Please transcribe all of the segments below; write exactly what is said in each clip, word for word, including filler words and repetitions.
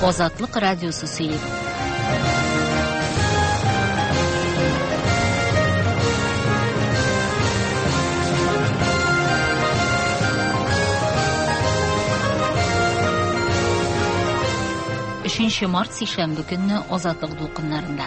Азатлык радиосы сөйли. Өченче март сишәмбе көнне Азатлык дулкыннарында.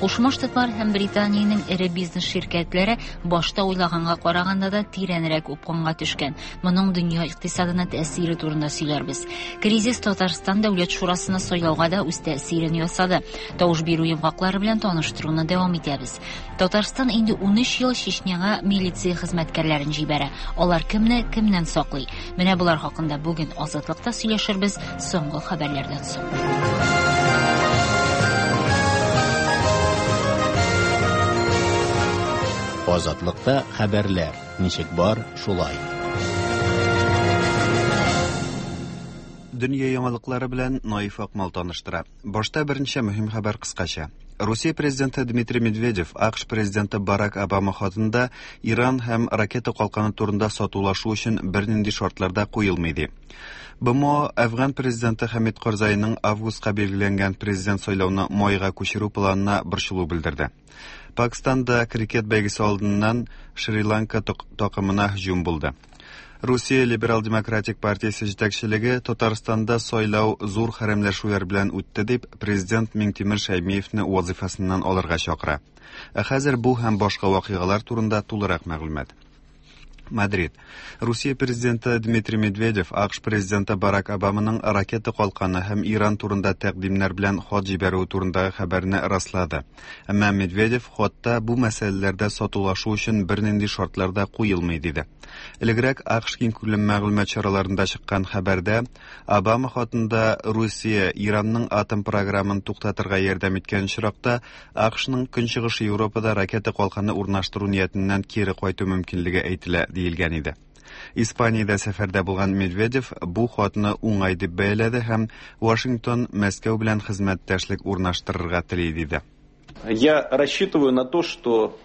Кушма Штатлар һәм Британиянең эре бизнес ширкәтләре башта уйлаганга караганда да тирәнрәк упкынга төшкән. Моның дөнья икътисадына тәэсире турында сөйләрбез. Кризис Татарстан Дәүләт Шурасына сайлауга да үз тәэсирен ясады. Тавыш бирү йомгаклары белән таныштыруны дәвам итәбез. Татарстан инде унөч ел Чечняга милиция хезмәткәрләрен җибәрә. Алар кемне кемнән саклый? Менә болар хакында бүген Азатлыкта сөйләшербез соңгы хәбәрләрдән соң. Азатлыкта хәбәрләр ничек бар, шулай. Дөнья яңалыклары белән Наиф Акмал таныштыра. Башта берничә мөһим хәбәр кыскача. Русия президенты Дмитрий Медведев АКШ президенты Барак Обама хатында Иран һәм ракета калканы турында сатулашу өчен бернинди шартларда куелмый ди. БМО Әфган президенты Хәмид Карзайның августка билгеләнгән президент сайлауны майга күчерү планына борчылу белдерде. Пакистанда крикет бәйгесе алдыннан Шри-Ланка такымына һөҗүм булды. Русия Либерал-демократик партиясе җитәкчелеге Татарстанда сайлау зур хәрәмләшүләр белән үтте дип президент Миңтимер Шәймиевне вазифасыннан алырга чакыра. Ә хәзер бу һәм башка вакыйгалар турында тулырак мәгълүмат. Мадрид. Русия президенты Дмитрий Медведев АКШ президенты Барак Обаманың ракета калканы һәм Иран турында тәкъдимнәр белән хат җибәрүе турындагы хәбәрне раслады. Әмма Медведев хатта бу мәсьәләләрдә сатулашу өчен бернинди шартлар да куелмый диде. Элегрәк АКШ киңкүләм мәгълүмат чараларында чыккан хәбәрдә Обама хатында Русия Иранның атом програмын туктатырга ярдәм иткән очракта АКШның Көнчыгыш Европада ракета калканы урнаштыру ниятеннән кире кайту мөмкинлеге әйтелә диелгән иде. Испаниядә сәфәрдә булган Медведев бу хатны уңай дип бәяләде һәм Вашингтон Мәскәү белән хезмәттәшлек урнаштырырга тели диде. Я рассчитываю на то, что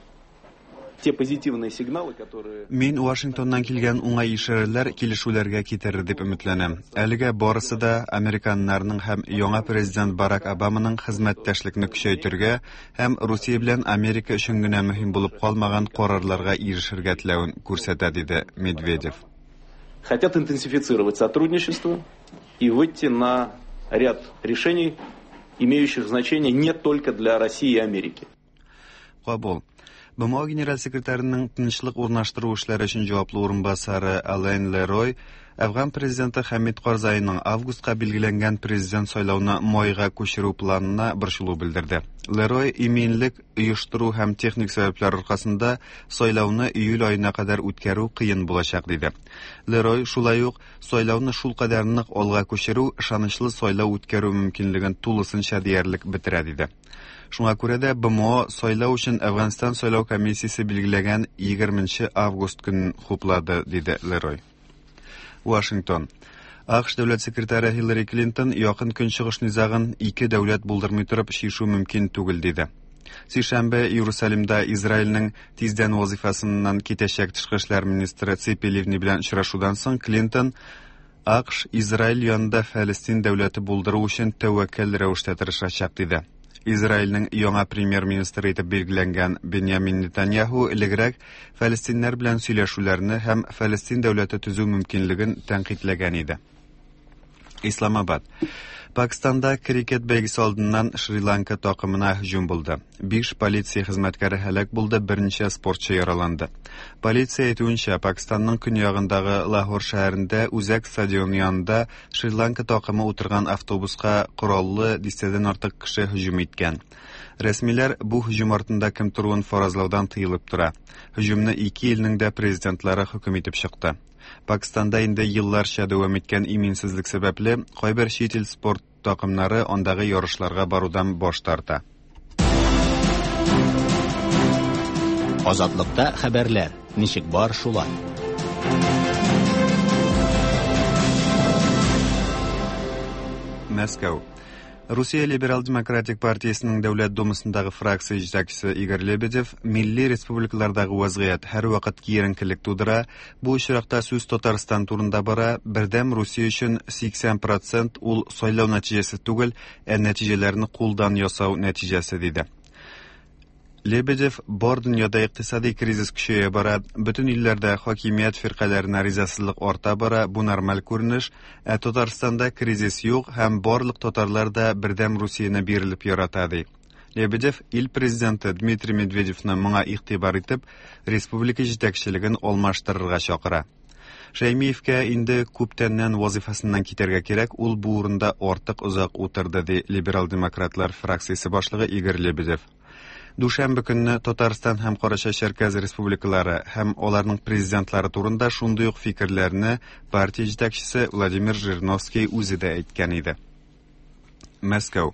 те позитивные сигналы, которые... Мин Вашингтоннан килгән уңай ишарәләр килешүләргә китерер дип өметләнәм. Әлегә барысы да американнарның һәм яңа президент Барак Обаманың хезмәттәшлекне көчәйтергә һәм Русия белән Америка өчен генә мөһим булып калмаган карарларга ирешергә теләвен күрсәтә, диде Медведев. Хотят интенсифицировать сотрудничество и выйти на ряд решений, имеющих значение не только для России и Америки. Кабул. БМО генераль секретарының тынычлык урнаштыру эшләре өчен җаваплы урынбасары Ален Лерой Әфган президенты Хәмид Карзайның августка билгеләнгән президент сайлауны майга күчерү планына борчылу белдерде. Лерой иминлек оештыру һәм техник сәбәпләр аркасында сайлауны июль аена кадәр үткәрү кыен булачак диде. Лерой шулай ук сайлауны шул кадәр нык алга күчерү ышанычлы сайлау үткәрү мөмкинлеген тулысынча диярлек бетерә диде. Шуңа күрә дә БМО сайлау өчен Әфганстан сайлау комиссиясе билгеләгән егерменче август көнен хуплады, диде Лерой. Вашингтон. АКШ дәүләт секретаре Хиллари Клинтон якын көнчыгыш низагын ике дәүләт булдырмый торып чишү мөмкин түгел диде. Сишәмбе Иерусалимда Израильнең тиздән вазифасыннан китәчәк тышкы эшләр министры Ципи Ливни белән очрашудан соң Клинтон АКШ Израиль янында Фәлестин дәүләте булдыру өчен тәвәккәл рәвештә тырышачак диде. Израильнең яңа премьер-министры итеп билгеләнгән Беньямин Нетаньяху элегрәк фәлестиннәр белән сөйләшүләрне һәм Фәлестин дәүләте төзү мөмкинлеген тәнкыйтьләгән иде. Исламабад. Пакистанда крикет бәйгесе алдыннан Шри-Ланка такымына һөҗүм булды. Биш полиция хезмәткәре һәлак булды, берничә спортчы яраланды. Полиция әйтүенчә, Пакистанның көньягындагы Лахор шәһәрендә үзәк стадион янында Шри-Ланка такымы утырган автобуска кораллы дистәдән артык кеше һөҗүм иткән. Рәсмиләр бу һөҗүм артында кем торуын фаразлаудан тыелып тора. Һөҗүмне ике илнең дә президентлары хөкем итеп чыкты. Пакистанда инде елларча дәвам иткән иминсезлек сәбәпле кайбер чит ил спорт такымнары андагы ярышларга барудан баш тарта. Азатлыкта хәбәрләр ничек бар, шулай. Мәскәү. Русия Либерал-демократик партиясенең Дәүләт Думасындагы фракция җитәкчесе Игорь Лебедев милли республикалардагы вазгыять һәрвакыт киеренкелек тудыра. Бу очракта сүз Татарстан турында бара. Бердәм Русия өчен сиксән процент ул сайлау нәтиҗәсе түгел, ә нәтиҗәләрне кулдан ясау нәтиҗәсе, диде. Лебедев бар дөньяда икътисади кризис көчәя бара, бөтен илләрдә хакимият фиркаләренә ризасызлык арта бара, бу нормаль күренеш, ә Татарстанда кризис юк һәм барлык татарлар да Бердәм Русияне бирелеп ярата, ди. Лебедев ил президенты Дмитрий Медведевны моңа игътибар итеп, республика җитәкчелеген алмаштырырга чакыра. Шәймиевкә инде күптәннән вазифасыннан китәргә кирәк, ул бу урында артык озак утырды, ди либерал-демократлар фракциясе башлыгы Игорь Лебедев. Дүшәмбе көнне Татарстан һәм Карачай-Чәркәз республикалары һәм аларның президентлары турында шундый ук фикерләрне партия җитәкчесе Владимир Жириновский үзе дә әйткән иде. Мәскәү.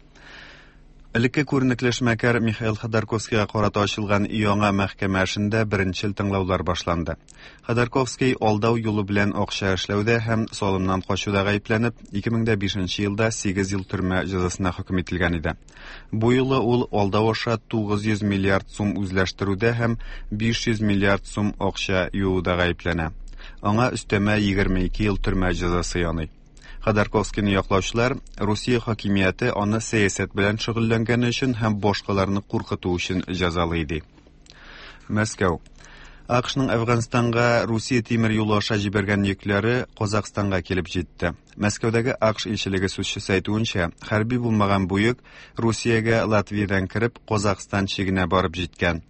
Элекке күренекле эшмәкәр Михаил Ходорковскийга карата ачылган яңа мәхкәмә эшендә беренчел тыңлаулар башланды. Ходорковский алдау юлы белән акча эшләүдә һәм салымнан качуда гаепләнеп, ике мең дә бишенче елда сигез ел төрмә җәзасына хөкем ителгән иде. Бу юлы ул алдау аша тугыз йөз миллиард сум үзләштерүдә һәм биш йөз миллиард сум акча юуда гаепләнә. Аңа өстәмә егерме ике ел төрмә җәзасы яный. Ходорковскийны яклаучылар Русия хакимияте аны сәясәт белән шөгыльләнгәне өчен һәм башкаларны куркыту өчен җәзалый иде. Мәскәү. АКШның Әфганстанга Русия тимер юлы аша җибәргән йөкләре Казахстанга килеп җитте. Мәскәүдәге АКШ илчелеге сүзчесе әйтүенчә, хәрби булмаган бу йөк Русиягә Латвиядән кереп Казахстан чигенә барып җиткән.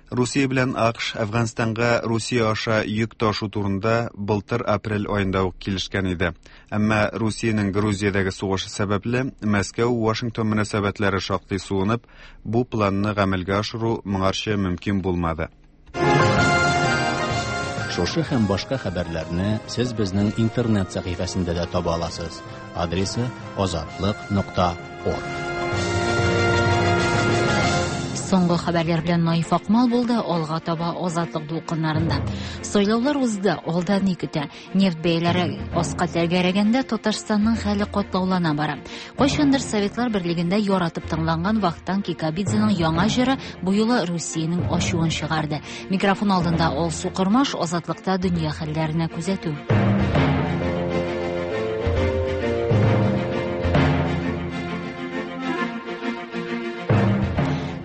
Русия белән АКШ Әфганстанга Русия аша йөк ташу турында былтыр апрель аенда ук килешкән иде. Әмма Русиянең Грузиядәге сугышы сәбәпле Мәскәү-Вашингтон мөнәсәбәтләре шактый суынып, бу планны гамәлгә ашыру моңарчы мөмкин булмады. Шушы һәм башка хәбәрләрне сез безнең интернет сәхифәсендә дә таба аласыз. Адресы азатлык нокта орг. Соңгы хәбәрләр белән Наиф Акмал булды, алга таба Азатлык дулкыннарында. Сайлаулар узды, алда ни көтә? Нефть бәяләре аска тәгәрәгәндә Татарстанның хәле катлаулана бара. Кайчандыр Советлар Берлегендә яратып тыңланган Вахтанг Кикабидзеның яңа җыры бу юлы Русиянең ачуын чыгарды. Микрофон алдында Алсу Кормаш, Азатлыкта дөнья хәлләренә күзәтү.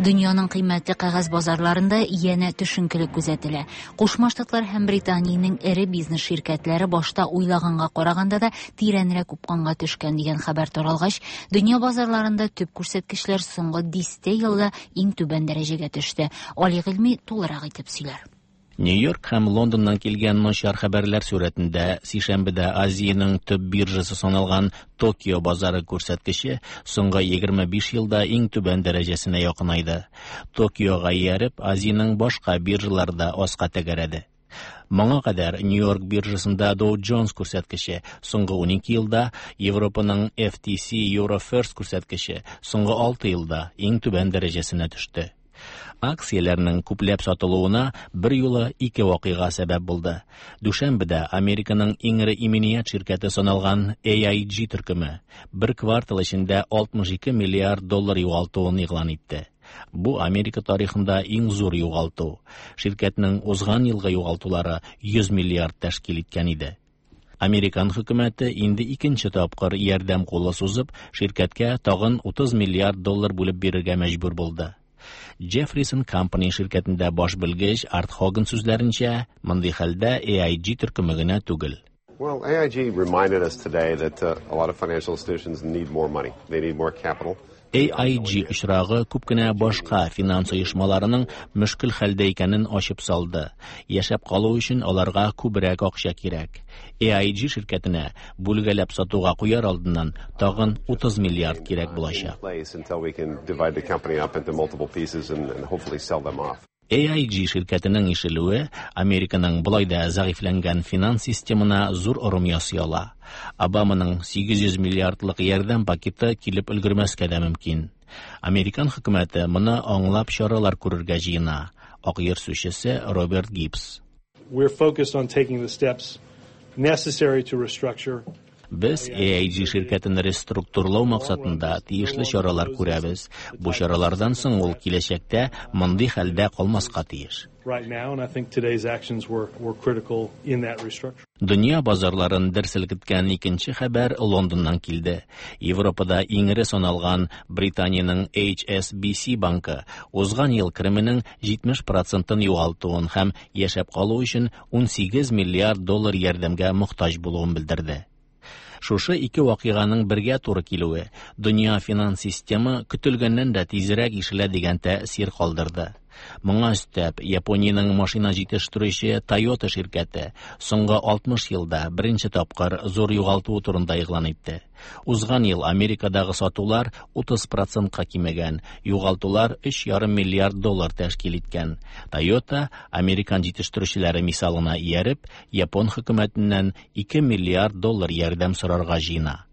Дөньяның кыйммәтле кәгазь базарларында янә төшенкелек күзәтелә. Кушма Штатлар һәм Британиянең эре бизнес ширкәтләре башта уйлаганга караганда да тирәнрәк упканга төшкән дигән хәбәр таралгач, дөнья базарларында төп күрсәткечләр соңгы дистә елда иң түбән дәрәҗәгә төште. Али Гыйльми тулырак итеп сөйләр. Нью-Йорк һәм Лондоннан килгән начар хәбәрләр сурәтендә сишәмбедә Азиянең төп биржасы саналган Токио базары күрсәткече соңгы егерме биш елда иң түбән дәрәҗәсенә якынайды. Токиога ияреп, Азиянең башка биржалары да аска тәгәрәде. Моңа кадәр Нью-Йорк биржасында Dow Jones күрсәткече соңгы унике елда, Европаның F T S E Eurofirst күрсәткече соңгы алты елда иң түбән дәрәҗәсенә төште. Акцияләрнең күпләп сатылуына бер юлы ике вакыйга сәбәп булды. Дүшәмбедә Американың иң эре иминият ширкәте саналган A I G төркеме бер квартал эчендә алтмыш ике миллиард доллар югалтуын игълан итте. Бу Америка тарихында иң зур югалту. Ширкәтнең узган елгы югалтулары йөз миллиард тәшкил иткән иде. Американ хөкүмәте инде икенче тапкыр ярдәм кулы сузып, ширкәткә тагын утыз миллиард доллар бүлеп бирергә мәҗбүр булды. Jefferies and Company ширкәтендә баш белгеч Арт Хоган сүзләренчә, мондый хәлдә A I G төркеме генә түгел. Well, A I G reminded us today that, uh, a lot of financial institutions need more money. They need more capital. A I G очрагы күп кенә башка финанс оешмаларының мөшкел хәлдә икәнен ачып салды. Яшәп калу өчен аларга күбрәк акча кирәк. A I G ширкәтенә бүлгәләп сатуга куяр алдыннан тагын утыз миллиард кирәк булачак. A I G ширкәтенең ишелүе Американың болай да зәгыйфьләнгән финанс системына зур орым ясый ала. Обаманың сигез йөз миллиардлык ярдәм пакеты килеп өлгермәскә дә мөмкин. Американ хөкүмәте моны аңлап чаралар күрергә җыена. Ак йорт сүзчесе Роберт Гибс. We're focused on taking the steps necessary to restructure Без A I G ширкәтен реструктурлау максатында тиешле чаралар күрәбез. Бу чаралардан соң ул киләчәктә мондый хәлдә калмаска тиеш. Right now, and I think today's actions were, were critical in that restructuring. Дөнья базарларын дер селкеткән икенче хәбәр Лондоннан килде. Европада иң эре саналган Британиянең H S B C банкы узган ел кеременең җитмеш процентын югалтуын һәм яшәп калу өчен унсигез миллиард доллар ярдәмгә мохтаҗ булуын белдерде. Шушы ике вакыйганың бергә туры килүе дөнья финанс системы көтелгәннән дә тизрәк ишелә дигән тәэсир калдырды. Моңа өстәп, Япониянең машина җитештерүче Toyota ширкәте соңгы алтмыш елда беренче тапкыр зур югалтуы турында игълан итте. Узган ел Америкадагы сатулар утыз процентка кимегән, югалтулар өч ярым миллиард доллар тәшкил иткән. Toyota, американ җитештерүчеләре мисалына ияреп, япон хөкүмәтеннән ике миллиард доллар ярдәм сорарга җыена.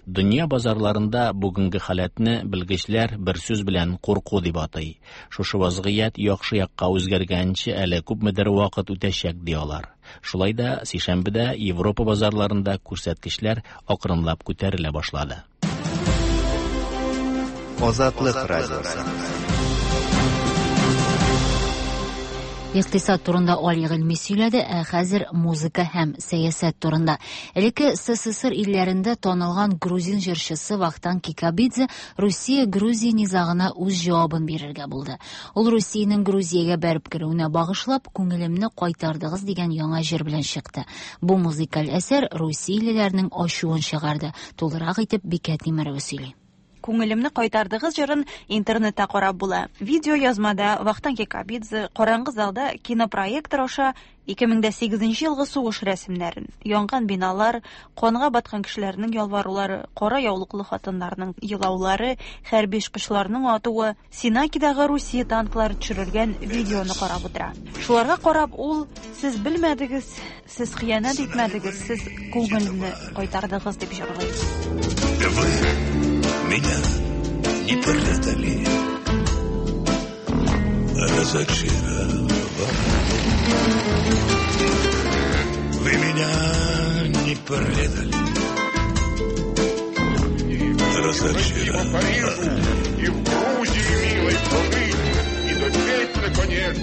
Дөнья базарларында бүгенге халәтне белгечләр бер сүз белән курку дип атый. Шушы вазгыять яхшы якка үзгәргәнче әле күпмедер вакыт үтәчәк, ди алар. Шулай да сишәмбедә Европа базарларында күрсәткечләр акрынлап күтәрелә башлады. Азатлык радиосы. Икътисад турында Али Гыйльми сөйләде, ә хәзер музыка һәм сәясәт турында. Элекке С С С Р илләрендә танылган грузин җырчысы Вахтанг Кикабидзе Русия-Грузия низагына үз җавабын бирергә булды. Ул Русиянең Грузиягә бәреп керүенә багышлап, "Күңелемне кайтардыгыз" дигән яңа җыр белән чыкты. Бу музыкаль әсәр русиялеләрнең ачуын чыгарды. Тулырак итеп Бикә Тимерова сөйли. "Күңелемне кайтардыгыз" җырын интернетта карап була. Видео язмада Вахтанг Кикабидзе караңгы залда кинопроектор аша ике мең сигезенче елгы сугыш рәсемнәрен, янган биналар, канга баткан кешеләрнең ялварулары, кара яулыклы хатыннарның елаулары, хәрби очкычларның атуы, Сенакидагы Русия танклары төшерелгән видеоны карап утыра. Шуларга карап ул: "Сез белмәдегез, сез хыянәт итмәдегез, сез күңелемне кайтардыгыз", дип җырлый. Вы меня не предали, разочаровали. Вы меня не предали, разочаровали. И в Грузии милой пожить, и допеть наконец.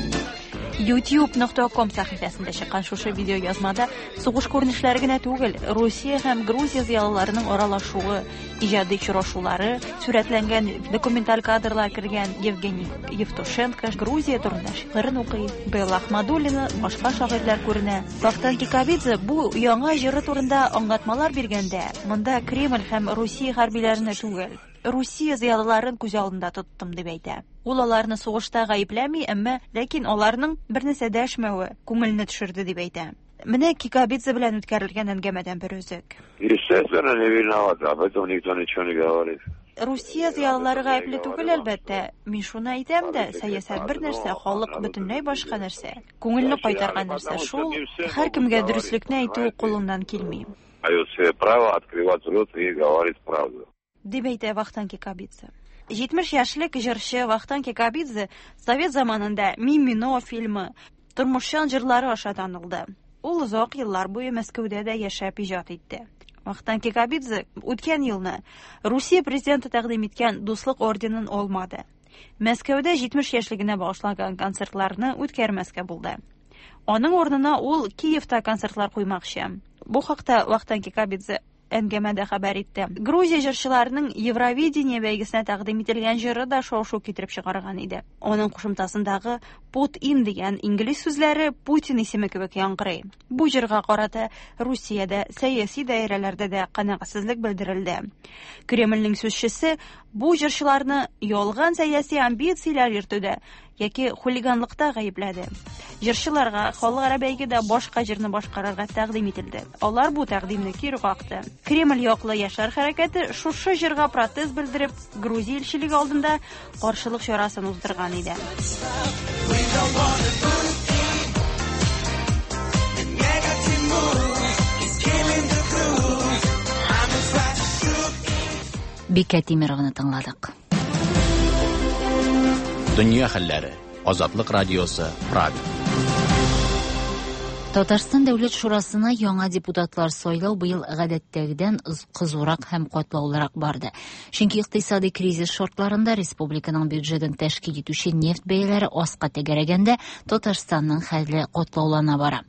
youtube нокта ком сәхифәсендә чыккан шушы видео язмада сугыш күренешләре генә түгел, Русия һәм Грузия зыялыларының аралашуы, иҗади очрашулары сурәтләнгән документаль кадрлар кергән. Евгений Евтушенко Грузия турында шигырен укый, Белла Ахмадуллина, башка шагыйрьләр күренә. Вахтанг Кикабидзе бу яңа җыры турында аңлатмалар биргәндә, монда Кремль һәм Русия хәрбиләренә түгел, Русия зыялыларын күз алдында тоттым, дип әйтә. Ул аларны сугышта гаепләми, әмма ләкин аларның бер нәрсә дәшмәве күңелне төшерде, дип әйтә. Менә Кикабидзе белән үткәрелгән әңгәмәдән бер өзек. Естественно, не виноват, об этом никто ничего не говорит. Русия зыялылары гаепле түгел, әлбәттә. Мин шуны әйтәм дә, сәясәт бер нәрсә, халык бөтенләй башка нәрсә. Күңелне кайтарган нәрсә шул, һәркемгә дөреслекне әйтү кулыннан килми. Дает себе право открывать рот и говорить правду. Дип әйтә Вахтанг Кикабидзе. җитмеш яшьлек җырчы Вахтанг Кикабидзе совет заманында "Мимино" фильмы, тормышчан җырлары аша танылды. Ул озак еллар буе Мәскәүдә дә яшәп иҗат итте. Вахтанг Кикабидзе үткән елны Русия президенты тәкъдим иткән Дуслык орденын алмады. Мәскәүдә җитмеш яшьлегенә багышланган концертларны үткәрмәскә булды. Аның урынына ул Киевта концертлар куймакчы. Бу хакта Вахтанг Кикабидзе әңгәмәдә хәбәр итте. Грузия җырчыларының Евровидение бәйгесенә тәкъдим ителгән җыры да шау-шу китереп чыгарган иде. Аның кушымтасындагы "put in" дигән инглиз сүзләре Путин исеме кебек яңгырый. Бу җырга карата Русиядә сәяси даирәләрдә дә канәгатьсезлек белдерелде. Кремльнең сүзчесе бу җырчыларны ялган сәяси амбицияләр йөртүдә яки хулиганлыкта гаепләде. Җырчыларга халыкара бәйгедә башка җырны башкарырга тәкъдим ителде. Алар бу тәкъдимне кире какты. Кремль яклы яшьләр хәрәкәте шушы җырга протест белдереп, Грузия илчелеге алдында каршылык чарасын уздырган иде. We don't wanna put in the negative mood is killing the groove. I'm a flash shoot. Бикә Тимерованы тыңладык. Дөнья хәлләре. Азатлык радиосы, Прага. Татарстан Дәүләт Шурасына яңа депутатлар сайлау быел гадәттәгедән кызурак һәм катлаулырак барды. Чөнки икътисади кризис шартларында республиканың бюджетын тәшкил итүче нефть бәяләре аска тәгәрәгәндә Татарстанның хәле катлаулана бара.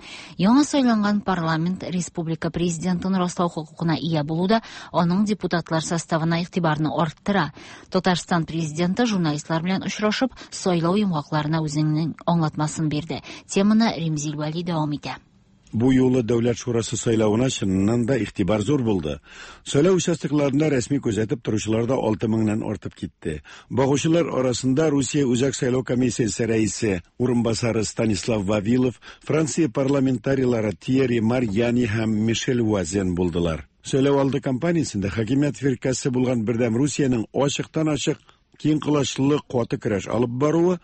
Яңа сайланган парламент республика президентын раслау хокукына ия булуда аның депутатлар составына игътибарны арттыра. Татарстан президенты журналистлар белән очрашып, сайлау йомгакларына үзенең аңлатмасын бирде. Теманы Римзил Вәли дәвам итә. Бу юлы Дәүләт Шурасы сайлавына чыннан да игътибар зур булды. Сайлау участокларында рәсми күзәтеп торучылар да алты меңнән артып китте. Багучылар арасында Русия Үзәк сайлау комиссиясе рәисе урынбасары Станислав Вавилов, Франция парламентарийлары Тьерри Марьяни һәм Мишель Вазен булдылар. Сайлау алды кампаниясендә хакимият фиркәсе булган Бердәм Русиянең ачыктан-ачык киң колачлы каты көрәш алып баруы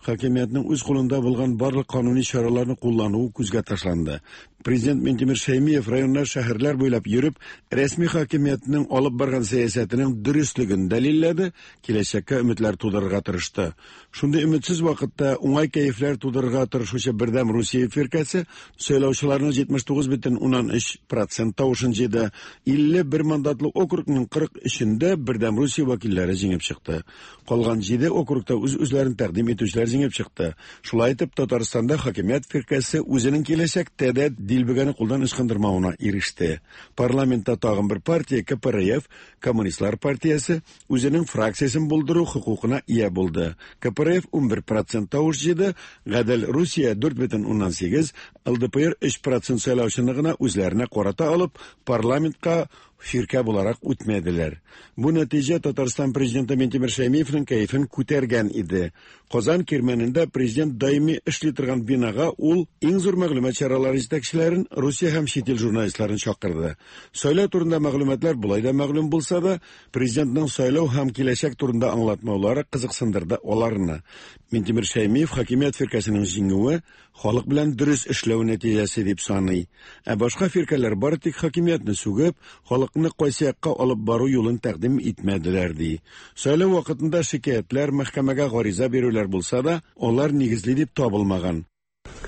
хакимиятның үз кулында булган барлык кануни чараларны куллануы күзгә ташланды. Президент Минтимер Шәймиев районнар, шәһәрләр буйлап йөреп, рәсми хакимиятның алып барган сәясәтенең дөреслеген дәлилләде, киләчәккә өметләр тудырырга тырышты. Шундый өметсез вакытта уңай кәефләр тудырырга тырышучы Бердәм Русия фиркәсе сайлаучыларның җитмеш тугыз бөтен уннан өч процент тавышын җыйды. Илле бер мандатлы округның кырык өчендә Бердәм Русия вәкилләре җиңеп чыкты. Калган җиде округта үз-үзләрен тәкъдим итүчеләр җиңеп чыкты. Шулай итеп, Татарстанда хакимият фиркәсе үзенең киләчәктә дә дилбегәне кулдан ычкындырмавына иреште. Парламентта тагын бер партия К П Р Ф, Коммунистлар партиясе, үзенең фракциясен булдыру хокукына ия булды. К П Р Ф унбер процент тавыш җыйды, Гадел Русия дүрт бөтен уннан сигез, Л Д П Р өч процент сайлаучыны гына үзләренә карата алып, парламентка фиркә буларак үтмәделәр. Бу нәтиҗә Татарстан президенты Минтимер Шәймиевның кәефен күтәргән иде. Казан кирмәнендә президент даими эшли торган бинага ул иң зур мәгълүмат чаралары җитәкчеләрен, Русия һәм чит ил журналистларын чакырды. Сайлау турында мәгълүматлар болай да мәгълүм булса да, президентның сайлау һәм киләчәк турында аңлатмаулары кызыксындырды аларны. Минтимер Шәймиев хакимият фиркәсенең җиңүе халык белән дөрес эшләү нәтиҗәсе дип саный. Ә башка фиркәләр бары тик хакимиятне сүгеп, халыкны кайсы якка алып бару юлын тәкъдим итмәделәр ди. Сайлау вакытында шикаятьләр, мәхкәмәгә гариза бирүләр булса да, алар нигезле дип табылмаган.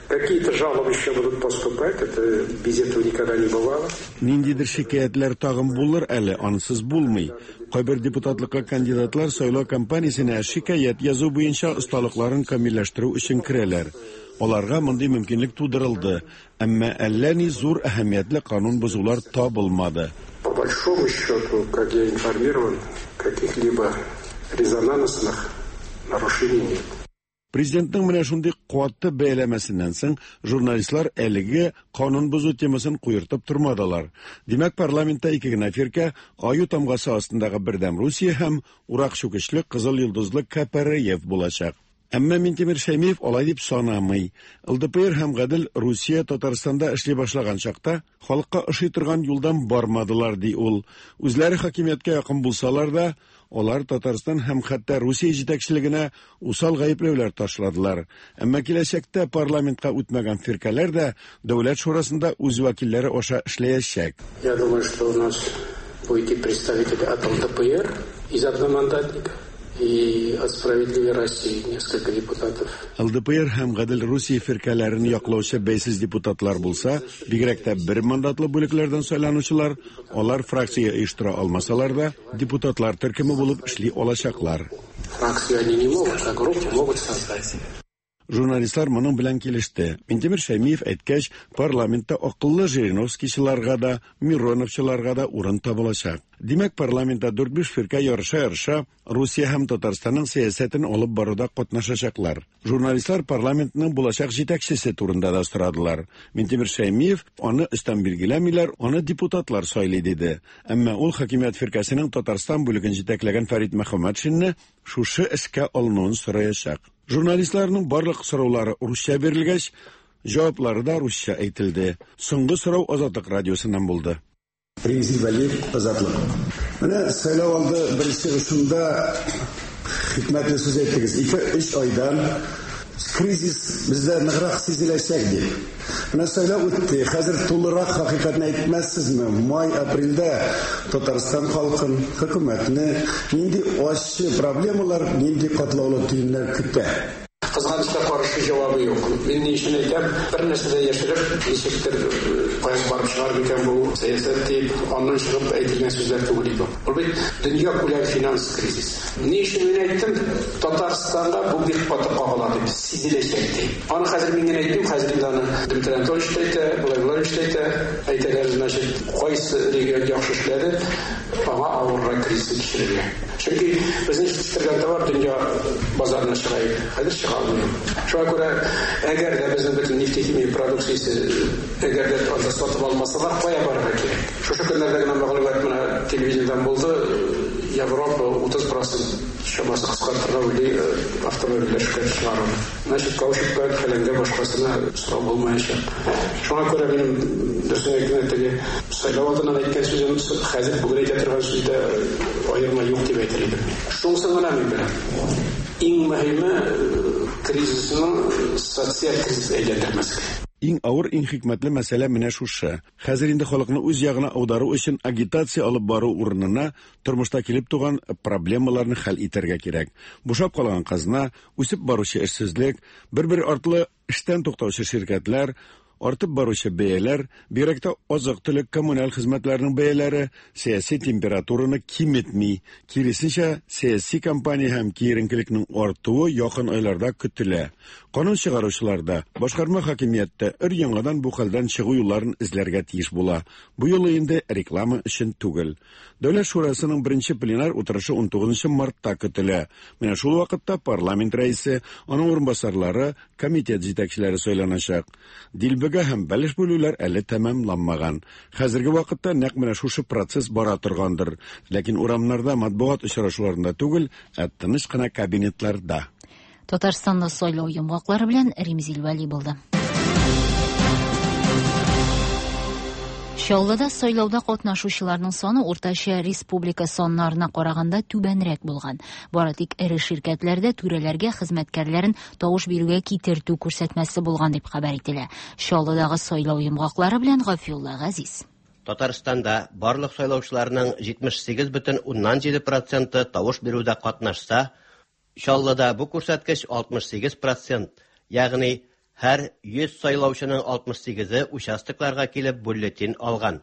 Какие-то жалобы еще будут поступать, это без этого никогда не бывало. Ниндидер шикаятьләр тагын булыр әле, ансыз булмый. Кайбер депутатлыкка кандидатлар сайлау кампаниясенә шикаять язу буенча осталыкларын камилләштерү өчен керәләр. Аларга мондый мөмкинлек тудырылды, әмма әллә ни зур әһәмиятле канун бозулар табылмады. По большому счету, как я информирован, каких-либо резонансных нарушений нет. Президентның менә шундый куәтле бәяләмәсеннән соң журналистлар әлеге канун бозу темасын куертып тормадылар. Димәк, парламентта ике генә фиркә аю тамгасы астындагы Бердәм Русия һәм урак чүкечле Кызыл йолдызлы К П Р Ф булачак. Әмма Минтимер Шәймиев алай дип санамый. Л Д П Р һәм Гадел Русия Татарстанда эшли башлаган чакта халыкка ошый торган юлдан бармадылар, ди ул. Үзләре хакимияткә якын булсалар да, алар Татарстан һәм хәтта Русия җитәкчелегенә усал гаепләүләр ташладылар. Әмма киләчәктә парламентка үтмәгән фиркәләр дә Дәүләт шурасында үз вәкилләре аша эшләячәк. Я думаю, что у нас будет и представители от Л Д П Р из одномандатников, и от Справедливой России несколько депутатов. Л Д П Р һәм Гадел Русия фиркәләрен яклаучы бәйсез депутатлар булса, бигрәк тә бер мандатлы бүлекләрдән сайланучылар, алар фракция оештыра алмасалар да, депутатлар төркеме булып эшли алачаклар. Фракцию они не могут, а группу могут создать. Журналистлар моның белән килеште. Минтимер Шәймиев әйткәч, парламентта акыллы Жириновскийчыларга да, Мироновчыларга да урын табылачак. Димәк, парламентта дүрт-биш фиркә ярыша-ярыша Русия һәм Татарстанның сәясәтен алып баруда катнашачаклар. Журналистлар парламентның булачак җитәкчесе турында да сорадылар. Минтимер Шәймиев аны өстән билгеләмиләр, аны депутатлар сайлый диде. Әмма ул хакимият фиркәсенең Татарстан бүлеген җитәкләгән Фәрит Мөхәммәтшинны шушы эшкә алынуын сораячак. Журналистларның барлык сораулары русча бирелгәч, җаваплары да русча әйтелде. Соңгы сорау Азатлык радиосыннан булды. Римзил Вәлиев, Азатлык. Менә сайлау алды беренче чыгышында хикмәтле сүз әйттегез. Ике-өч айдан кризис бездә ныграк сизеләчәк дип. Менә сайлау үтте. Хәзер тулырак хакыйкатьне әйтмәссезме? Май, апрельдә Татарстан халкын, хөкүмәтне нинди ачы проблемалар, нинди катлаулы төеннәр көтә? Кызганычка каршы җавабы юк. Мин ни өчен әйтәм, бер нәрсә дә яшереп, ничектер кая барып чыгар микән бу сәясәт дип, аннан чыгып әйтелгән сүзләр түгел иде. Ул бит дөнья күләм финанс кризис. Ни өчен мин әйттем, Татарстанда бу бик каты кагыла дип, сизеләчәк дип. Аны хәзер мин генә әйтмим, хәзер инде аны Дмитрий Анатольевич та әйтә, болай болай та әйтә. Әйтәләр, значит, кайсы регион яхшы эшләде, аңа авыррак кризис кичерергә. Чөнки безнең җитештергән товар дөнья базарына чыга иде. Хәзер чыга алмый. Шуңа күрә, әгәр дә безнең бөтен нефтехимия продукциясе әгәр дә анда сатып алмасалар, кая барырга кирәк? Шушы көннәрдә генә мәгълүмат менә телевидениедән булды, Европа утыз процент чамасы кыскартырга уйлый автомобильләр эшкә чыгаруны. Значит, каучукка, фәләнгә башкасына сорау булмаячак. Шуңа күрә минем дөресен әйткәндә теге сайлау алдыннан әйткән сүзем хәзер бүген әйтә торган сүздә аерма юк дип әйтер идем. Шунысын гына мин беләм. Иң мөһиме кризисның социаль кризис әйләндермәскә. Иң авыр, иң хикмәтле мәсьәлә менә шушы. Хәзер инде халыкны үз ягына аудару өчен агитация алып бару урынына тормышта килеп туган проблемаларны хәл итәргә кирәк. Бушап калган казна, үсеп баручы эшсезлек, бер-бер артлы эштән туктаучы ширкәтләр, артып баручы бәяләр, бигрәк тә азык-төлек, коммуналь хезмәтләрнең бәяләре сәяси температураны киметми. Киресенчә, сәяси кампания һәм киеренкелекнең артуы якын айларда көтелә. Канун чыгаручылар да, башкарма хакимияттә өр яңадан бу хәлдән чыгу юлларын эзләргә тиеш була. Бу юлы инде реклама өчен түгел. Дәүләт шурасының беренче пленар утырышы ун тугызынчы мартта көтелә. Менә шул вакытта парламент рәисе, аның урынбасарлары, комитет җитәкчеләре сайланачак. Дилбегә һәм бәлеш бүлүләр әле тәмамланмаган. Хәзерге вакытта нәкъ менә шушы процесс бара торгандыр. Ләкин урамнарда, матбугат очрашуларында түгел, ә тыныч кына кабинетларда. Татарстанда сайлау йомгаклары белән Римзил Вәли булды. Чаллыда сайлауда катнашучыларның саны уртача республика саннарына караганда түбәнрәк булган. Бары тик эре ширкәтләрдә түрәләргә хезмәткәрләрен тавыш бирүгә китертү күрсәтмәсе булган дип хәбәр ителә. Чаллыдагы сайлау йомгаклары белән Гафиулла Газиз. Татарстанда барлык сайлаучыларның җитмеш сигез бөтен уннан җиде проценты тавыш бирүдә катнашса, Чаллыда бу күрсәткеч алтмыш сигез процент, ягъни һәр йөз сайлаучының алтмыш сигезе участокларга килеп бюллетень алган.